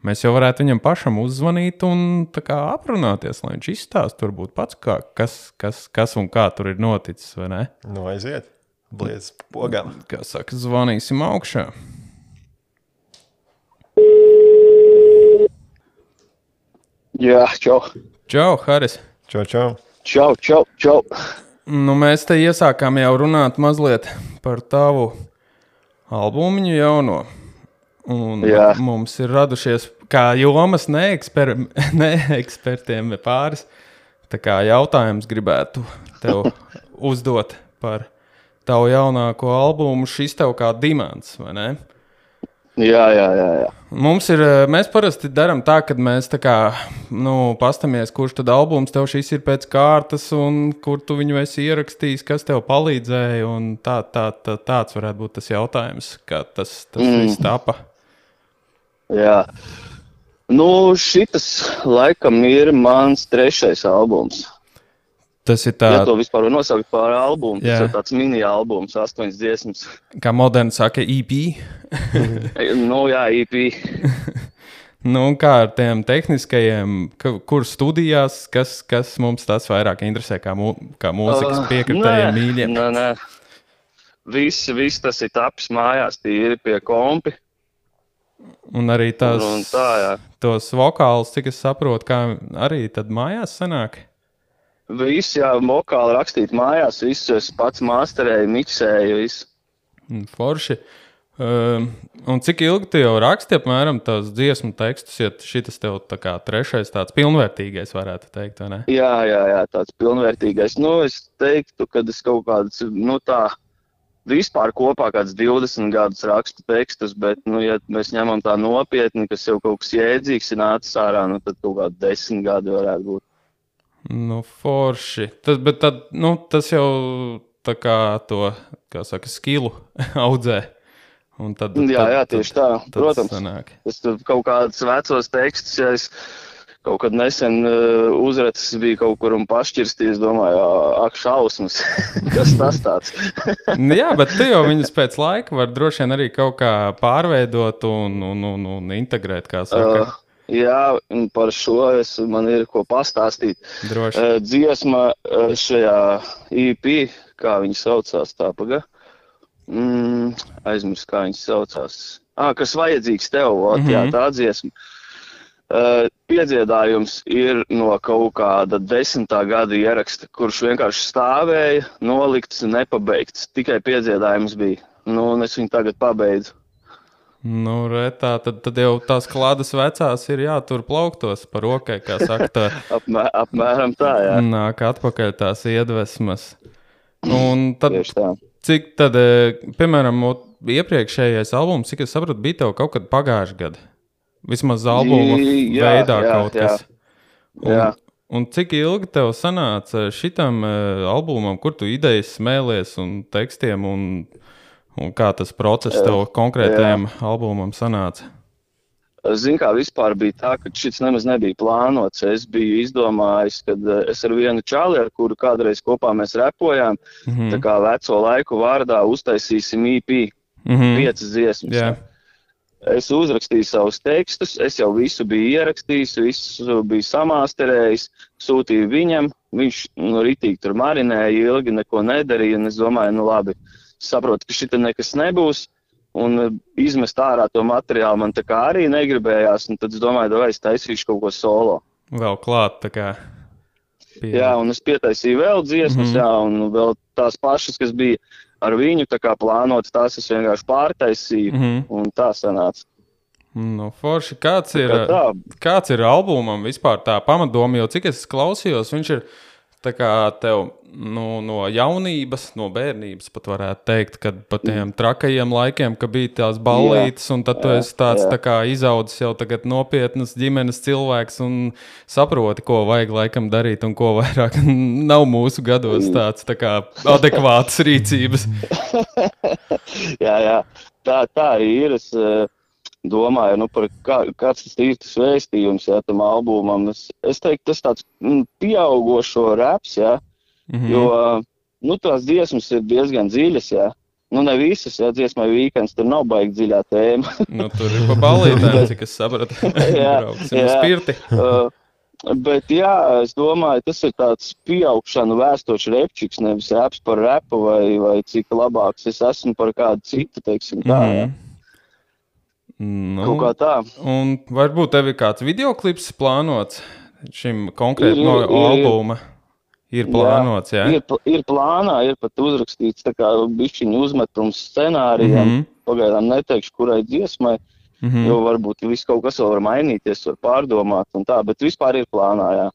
Speaker 1: Mēs jau varētu viņam pašam uzzvanīt un tā kā aprunāties, lai viņš izstāst varbūt pats, kas un kā tur ir noticis, vai ne?
Speaker 2: Aiziet, bliedz pogām.
Speaker 1: Kā saka, zvanīsim augšā.
Speaker 3: Jā, čau.
Speaker 1: Čau, Haris.
Speaker 3: Čau.
Speaker 1: Mēs te iesākām jau runāt mazliet par tavu albumiņu jauno. Un mums ir radušies kā jomas neekspertiem pāris. Tā kā jautājums gribētu tev uzdot par tavu jaunāko albumu Šis tev kā dimants, vai ne?
Speaker 3: Jā.
Speaker 1: Mēs parasti darām tā, kad mēs tā kā, pastamies, kurš tad albums tev šis ir pēc kārtas un kur tu viņu esi ierakstījis, kas tev palīdzēja, un tāds varētu būt tas jautājums, kā tas viss tapa.
Speaker 3: Jā. Šitas laikam ir mans 3. albums.
Speaker 1: Tas ir tā...
Speaker 3: Ja to vispār var nosaukt par albumu, tas ir tāds mini-albums, 8 dziesmas.
Speaker 1: Kā moderni saka, EP?
Speaker 3: Jā, EP.
Speaker 1: Kā ar tiem tehniskajiem, kur studijās, kas mums tas vairāk interesē, kā mūzikas piekritējiem mīļiem?
Speaker 3: Nē. Viss tas ir tapis mājās, tīri pie kompi.
Speaker 1: Un arī tos vokālus, cik es saprotu, kā arī tad mājās sanāk?
Speaker 3: Viss, vokāli rakstīt mājās, visu es pats masterēju, miksēju, visu.
Speaker 1: Forši. Un cik ilgi tu jau raksti, apmēram, tās dziesmu tekstus, ja šitas tev tā kā trešais tāds pilnvērtīgais, varētu teikt, vai ne?
Speaker 3: Jā, tāds pilnvērtīgais. Es teiktu, kad es kaut kādas, vispār kopā kāds 20 gadus rakstu tekstus, bet, ja mēs ņemam tā nopietni, kas jau kaut kas jēdzīgs ir nācis ārā, tad kaut kādi 10 gadi varētu būt.
Speaker 1: Forši. Bet tad, tas jau tā kā to, kā saka, skilu audzē.
Speaker 3: Jā, tieši tā. Protams, es tur kaut kādus vecos tekstus, ja es kaut kad nesen uzracis biju kaut kur un pašķirstīju, domāju, ak, šausmas, kas tas tāds?
Speaker 1: Jā, bet tu jau viņus pēc laika var droši vien arī kaut kā pārveidot un integrēt, kā saka.
Speaker 3: Jā, un par šo man ir ko pastāstīt.
Speaker 1: Droši.
Speaker 3: Dziesma šajā EP, kā viņi saucās tā, aizmirst, kā viņas saucās. Kas vajadzīgs tev, jā, tā dziesma. Piedziedājums ir no kaut kāda 10. gada ieraksta, kurš vienkārši stāvēja, nolikts, nepabeigts. Tikai piedziedājums bija. Un es viņu tagad pabeidzu.
Speaker 1: Retā, tad jau tās klādas vecās ir jātur plauktos par rokai, kā saka tā.
Speaker 3: Apmēram tā, jā.
Speaker 1: Nāk atpakaļ tās iedvesmas. Un tad...
Speaker 3: Tieši tā.
Speaker 1: Cik tad, piemēram, iepriekšējais albums, cik es sapratu, bija tev kaut kad pagājuši gadu? Vismaz albuma veidā kaut kas. Un cik ilgi tev sanāca šitam albumam, kur tu idejas smēlies un tekstiem un kā tas process tev konkrētajam albumam sanāca?
Speaker 3: Zini, kā vispār bija tā, ka šis nemaz nebija plānots. Es biju izdomājis, kad es ar vienu čali, ar kuru kādreiz kopā mēs repojām, tā kā veco laiku vārdā uztaisīsim EP, 5 dziesmas.
Speaker 1: Yeah.
Speaker 3: Es uzrakstīju savus tekstus, es jau visu biju ierakstījis, visu biju samāsterējis, sūtīju viņam, viņš ritīgi tur marinēja, ilgi neko nedarīja, un es domāju, labi, saprotu, ka šita nekas nebūs. Un izmest ārā to materiālu man tā kā arī negribējās, un tad es domāju, vai es taisīšu kaut ko solo.
Speaker 1: Vēl klāt, tā kā.
Speaker 3: Jā, un es pietaisīju vēl dziesmas, jā, un vēl tās pašas, kas bija ar viņu tā kā plānotas, tās es vienkārši pārtaisīju, un tā sanāca.
Speaker 1: Forši, kāds ir albumam vispār tā pamatdoma, jo cik es klausījos, viņš ir tā kā tev no jaunības, no bērnības pat varētu teikt, kad pa tiem trakajiem laikiem, ka bija tās ballītes, un tad tu esi tāds tā kā izaudzis jau tagad nopietnas ģimenes cilvēks un saproti, ko vajag laikam darīt un ko vairāk nav mūsu gados tāds tā kā adekvātas rīcības.
Speaker 3: Jā, tā arī ir. Es domāju, par kāds tas ir tas vēstījums, jā, tam albumam. Es teiktu, tas tāds pieaugošo raps, jā, jo, tās dziesmas ir diezgan dziļas, jā. Ne visas, jā, dziesmai Weekends, tur nav baigi dziļā tēma.
Speaker 1: Tur ir pa ballītēm, cik es sapratu.
Speaker 3: Jā.
Speaker 1: Spirti.
Speaker 3: Bet jā, es domāju, tas ir tāds pieaugšanu vēstošs repčiks, nevis raps par repu vai cik labāks es esmu par kādu citu, teiksim tā, jā. Kaut kā tā.
Speaker 1: Un varbūt tev ir kāds videoklips plānots šim konkrēti no albuma? Ir plānots, jā?
Speaker 3: Ir plānā, ir pat uzrakstīts tā kā bišķiņu uzmetums scenārijam. Pagaidām neteikšu, kurai dziesmai, jo varbūt viss kaut kas vēl var mainīties, var pārdomāt un tā, bet vispār ir plānā, jā.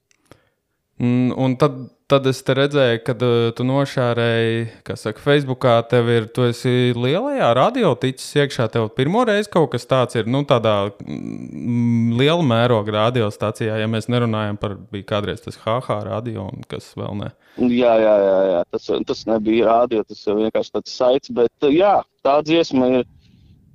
Speaker 1: Un tad es te redzēju, kad tu nošārēji, kā saka, Facebookā tu esi lielajā radio ticis iekšā, tev pirmo reizi kaut kas tāds ir, tādā liela mēroga radiostacijā, ja mēs nerunājam par, bija kādreiz tas HH radio un kas vēl ne.
Speaker 3: Jā, tas nebija radio, tas jau vienkārši tāds saits, bet jā, tā dziesma ir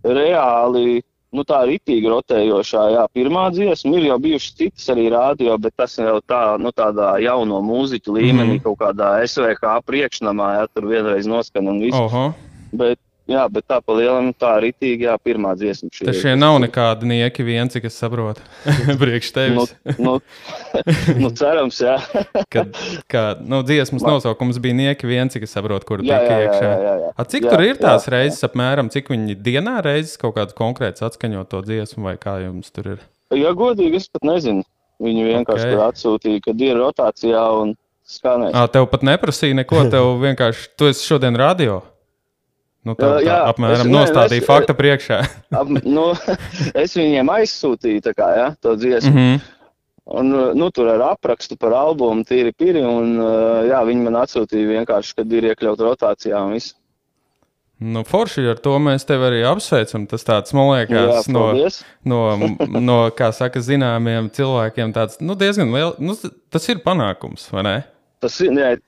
Speaker 3: reāli, tā ritīgi rotējošā, jā, pirmā dziesma, ir jau bijušas citas arī radio, bet tas jau tā, tādā jauno mūziķu līmenī, kaut kādā SVK priekšnamā, jā, tur vienreiz noskan un viss. Bet tā pa lielam, tā ritīgi, jā, pirmā dziesma.
Speaker 1: Šie nav nekādi nieki vien, cik es saprotu, priekš tevis.
Speaker 3: Cerams, jā.
Speaker 1: Dziesmas nosaukums bija nieki vien, cik es saprotu, kur tika iekšā.
Speaker 3: Jā.
Speaker 1: Cik tur ir tās reizes apmēram, cik viņi dienā reizes kaut kāds konkrēts atskaņot to dziesmu vai kā jums tur ir?
Speaker 3: Ja godīgi, es pat nezinu. Viņi vienkārši tur atsūtīja, kad ir rotācijā un skanēs.
Speaker 1: Tev pat neprasīja neko, tev vienkārši, tu esi šodien radio? tā apmēram nostādīja fakta priekšā.
Speaker 3: Es viņiem aizsūtīju tā kā, ja, to dziesmu. Un, tur ar aprakstu par albumu tīri piri, un viņi man atsūtīja vienkārši, kad ir iekļaut rotācijā un viss.
Speaker 1: Forši ar to mēs tevi arī apsveicam. Tas tāds, man liekas, no kā saka, zināmiem cilvēkiem tāds, diezgan liels, tas ir panākums, vai ne?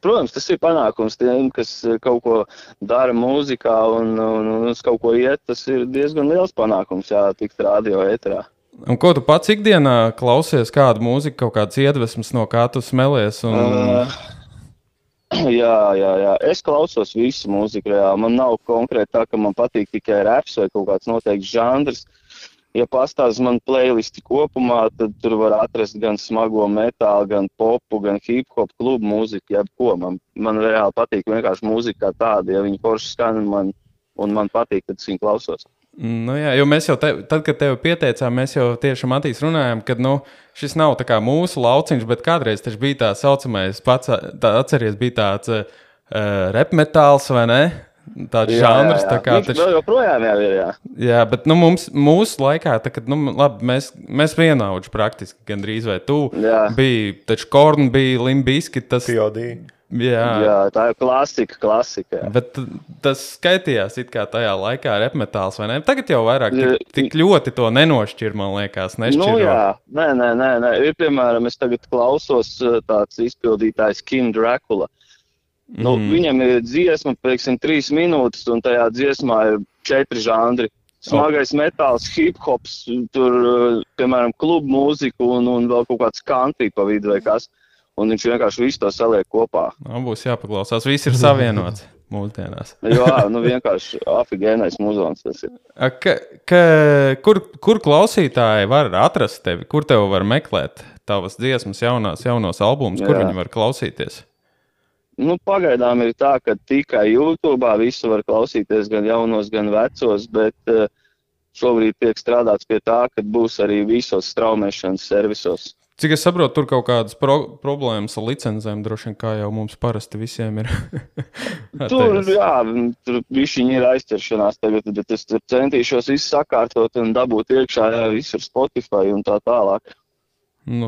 Speaker 3: Protams, tas ir panākums tiem, kas kaut ko dara mūzikā un uz kaut ko iet, tas ir diezgan liels panākums, tikt radio ēterā.
Speaker 1: Un ko tu pats ikdienā klausies, kādu mūziku, kaut kāds iedvesmas, no kā tu smelies?
Speaker 3: Jā. Es klausos visu mūziku reāli. Man nav konkrēti tā, ka man patīk tikai raps vai kaut kāds noteikts žanrs. Ja pastāst man playlisti kopumā, tad tur var atrast gan smago metālu, gan popu, gan hip-hop klubu mūziku, jebko. Man reāli patīk vienkārši mūzika kā tāda. Ja viņi forši skan un man patīk, tad es viņu klausos.
Speaker 1: Jo mēs jau, tad, kad tevi pieteicām, mēs jau tieši Matīs runājām, ka, šis nav tā kā mūsu lauciņš, bet kādreiz taču bija tā saucamais, atceries, bija tāds rap metāls, vai ne? Tāds žanrs, tā kā...
Speaker 3: Viņš vēl joprojām jau ir, jā.
Speaker 1: Jā, bet, mūsu laikā, tā, kad, labi, mēs vienauģi praktiski gandrīz vai tu. Jā. Bija, taču Korn bija, Limp Bizkit, tas...
Speaker 2: P.O.D.
Speaker 3: Jā, tā ir klasika.
Speaker 1: Bet tas skaitījās it kā tajā laikā rap metāls, vai ne? Tagad jau vairāk tik ļoti to nenošķir, man liekas, nešķiro.
Speaker 3: Nē. Ir, piemēram, es tagad klausos tāds izpildītājs Kim Dracula. Viņam ir dziesma, 3 minūtes, un tajā dziesmā ir 4 žanri. Smagais metāls, hip-hops, tur, piemēram, klubu mūziku un vēl kaut kāds country pa vidu vai kas. Un viņš vienkārši visu to saliek kopā.
Speaker 1: Būs jāpaklausās. Viss ir savienots mūsdienās.
Speaker 3: Jā, vienkārši afigēnais muzons tas ir.
Speaker 1: Kur klausītāji var atrast tevi? Kur tev var meklēt tavas dziesmas, jaunos albumus? Kur viņi var klausīties?
Speaker 3: Pagaidām ir tā, ka tikai YouTube'ā visu var klausīties, gan jaunos, gan vecos, bet šobrīd tiek strādāts pie tā, ka būs arī visos straumēšanas servisos.
Speaker 1: Cik es saprotu, tur kaut kādas problēmas ar licencēm, droši vien, kā jau mums parasti visiem ir.
Speaker 3: Tur višķiņi ir aizķeršanās tagad, bet es centīšos visu sakārtot un dabūt iekšā visur Spotify un tā tālāk.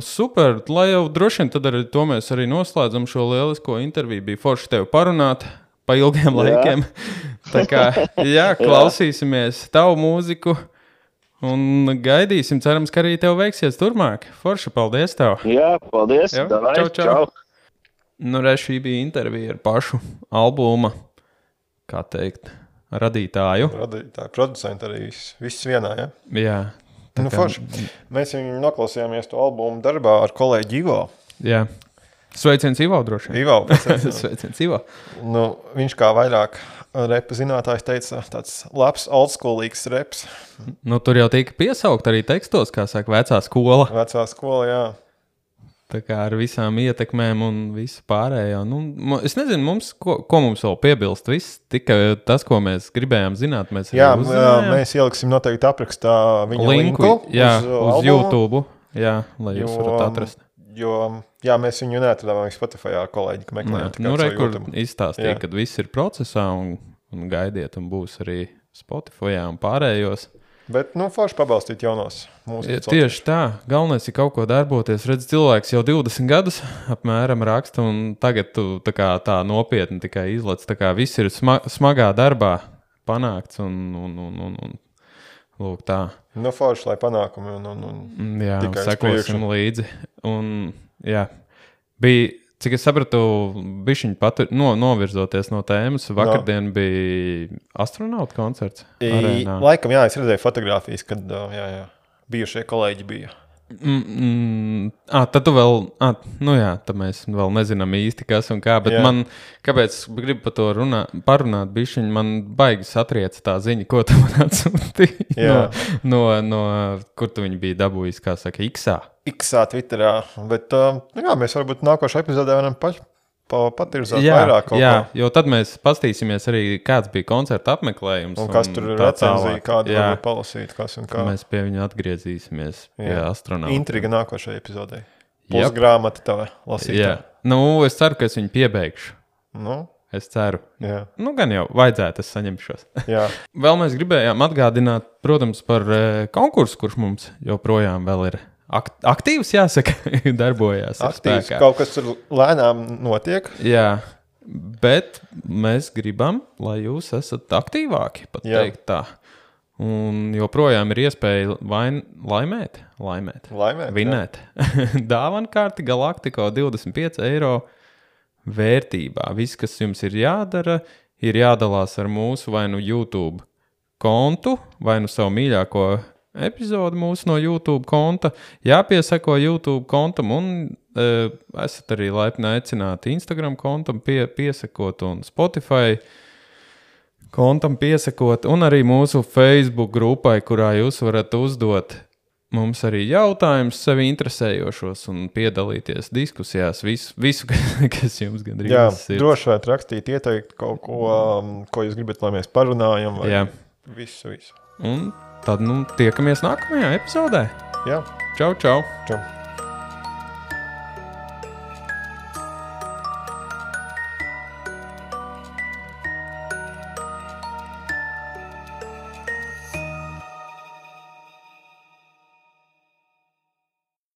Speaker 1: Super, lai jau droši vien tad arī to mēs arī noslēdzam šo lielisko interviju. Bija forši tevi parunāt pa ilgiem laikiem. Tā kā, klausīsimies tavu mūziku. Un gaidīsim, cerams, ka arī tev veiksies turmāk. Forši, paldies tev.
Speaker 3: Jā, paldies.
Speaker 1: Čau. Šī bija intervija ar pašu albuma, kā teikt, radītāju.
Speaker 2: Producentu arī viss vienā, ja?
Speaker 1: Jā.
Speaker 2: Forši. Mēs viņu noklausījāmies to albumu darbā ar kolēģi Ivo.
Speaker 1: Jā. Sveiciens Ivo droši vien. Sveiciens Ivo.
Speaker 2: Viņš kā vairāk repa zinātājs teica, tāds labs oldschoolīgs reps.
Speaker 1: Tur jau tika piesaukt arī tekstos, kā saka, vecā skola.
Speaker 2: Vecā skola, jā.
Speaker 1: Tā kā ar visām ietekmēm un visu pārējo. Es nezinu, ko mums vēl piebilst. Viss tikai tas, ko mēs gribējām zināt, mēs arī uzzinājām.
Speaker 2: Mēs ieliksim noteikti aprakstā viņa linku
Speaker 1: uz YouTube, lai jūs varat atrast.
Speaker 2: Jo mēs viņu neatradām Spotify kolēģi, meklējam.
Speaker 1: Kur izstāstīja, kad viss ir procesā un gaidiet, un būs arī Spotify un pārējos.
Speaker 2: Bet, forši pabalstīt jaunos mūsu
Speaker 1: tieši tā. Galvenais ir kaut ko darboties. Redz, cilvēks jau 20 gadus apmēram raksta, un tagad tu tā nopietni tikai izlec. Tā kā viss ir smagā darbā panākts, un lūk tā.
Speaker 2: Forši, lai panākumi
Speaker 1: jā, sekosim līdzi. Un, bija, cik es sapratu, bišķiņ novirzoties no tēmas, vakardien bija astronauta koncerts arēnā.
Speaker 2: Laikam, es redzēju fotogrāfijas, kad bijušie kolēģi bija.
Speaker 1: Tad tu vēl, tad mēs vēl nezinām īsti, kas un kā, bet man, kāpēc gribu par to parunāt bišķiņ, man baigi satriec tā ziņa, ko tu man atsūtīji no kur tu viņi bija dabūjis, kā saka,
Speaker 2: X-ā Twitterā, bet mēs varbūt nākošā epizodē varam patirzāt vairāk kaut ko.
Speaker 1: Jo tad mēs pastīsimies arī, kāds bija koncerta apmeklējums.
Speaker 2: Un kas tur ir recenzija, kādu varbūt palasīt, kas un kā.
Speaker 1: Mēs pie viņa atgriezīsimies pie astronauta.
Speaker 2: Intriga nākošajai epizodē. Pusgrāmata tava lasītā.
Speaker 1: Es ceru, ka es viņu piebeigšu. Es ceru.
Speaker 2: Jā.
Speaker 1: Nu, gan jau vajadzētu, es saņemšos.
Speaker 2: Jā.
Speaker 1: Vēl mēs gribējām atgādināt, protams, par konkursu, kurš mums joprojām vēl ir aktīvs, jāsaka, darbojās.
Speaker 2: Aktīvs, kaut kas tur lēnām notiek.
Speaker 1: Jā, bet mēs gribam, lai jūs esat aktīvāki, pat teikt tā. Un joprojām ir iespēja laimēt, vinēt. Dāvankārti Galactico 25 eiro vērtībā. Viss, kas jums ir jādara, ir jādalās ar mūsu vai nu YouTube kontu, vai nu savu mīļāko epizodu mūsu no YouTube konta. Jāpiesako YouTube kontam un esat arī laipni aicināti Instagram kontam piesakot un Spotify kontam piesakot un arī mūsu Facebook grupai, kurā jūs varat uzdot mums arī jautājums sevi interesējošos un piedalīties diskusijās, visu kas jums gandrīz ir.
Speaker 2: Jā, droši vajag rakstīt, ieteikt kaut ko jūs gribat, lai mēs parunājam, vai visu.
Speaker 1: Un tad, tiekamies nākamajā epizodē.
Speaker 2: Jā.
Speaker 1: Čau.
Speaker 2: Čau.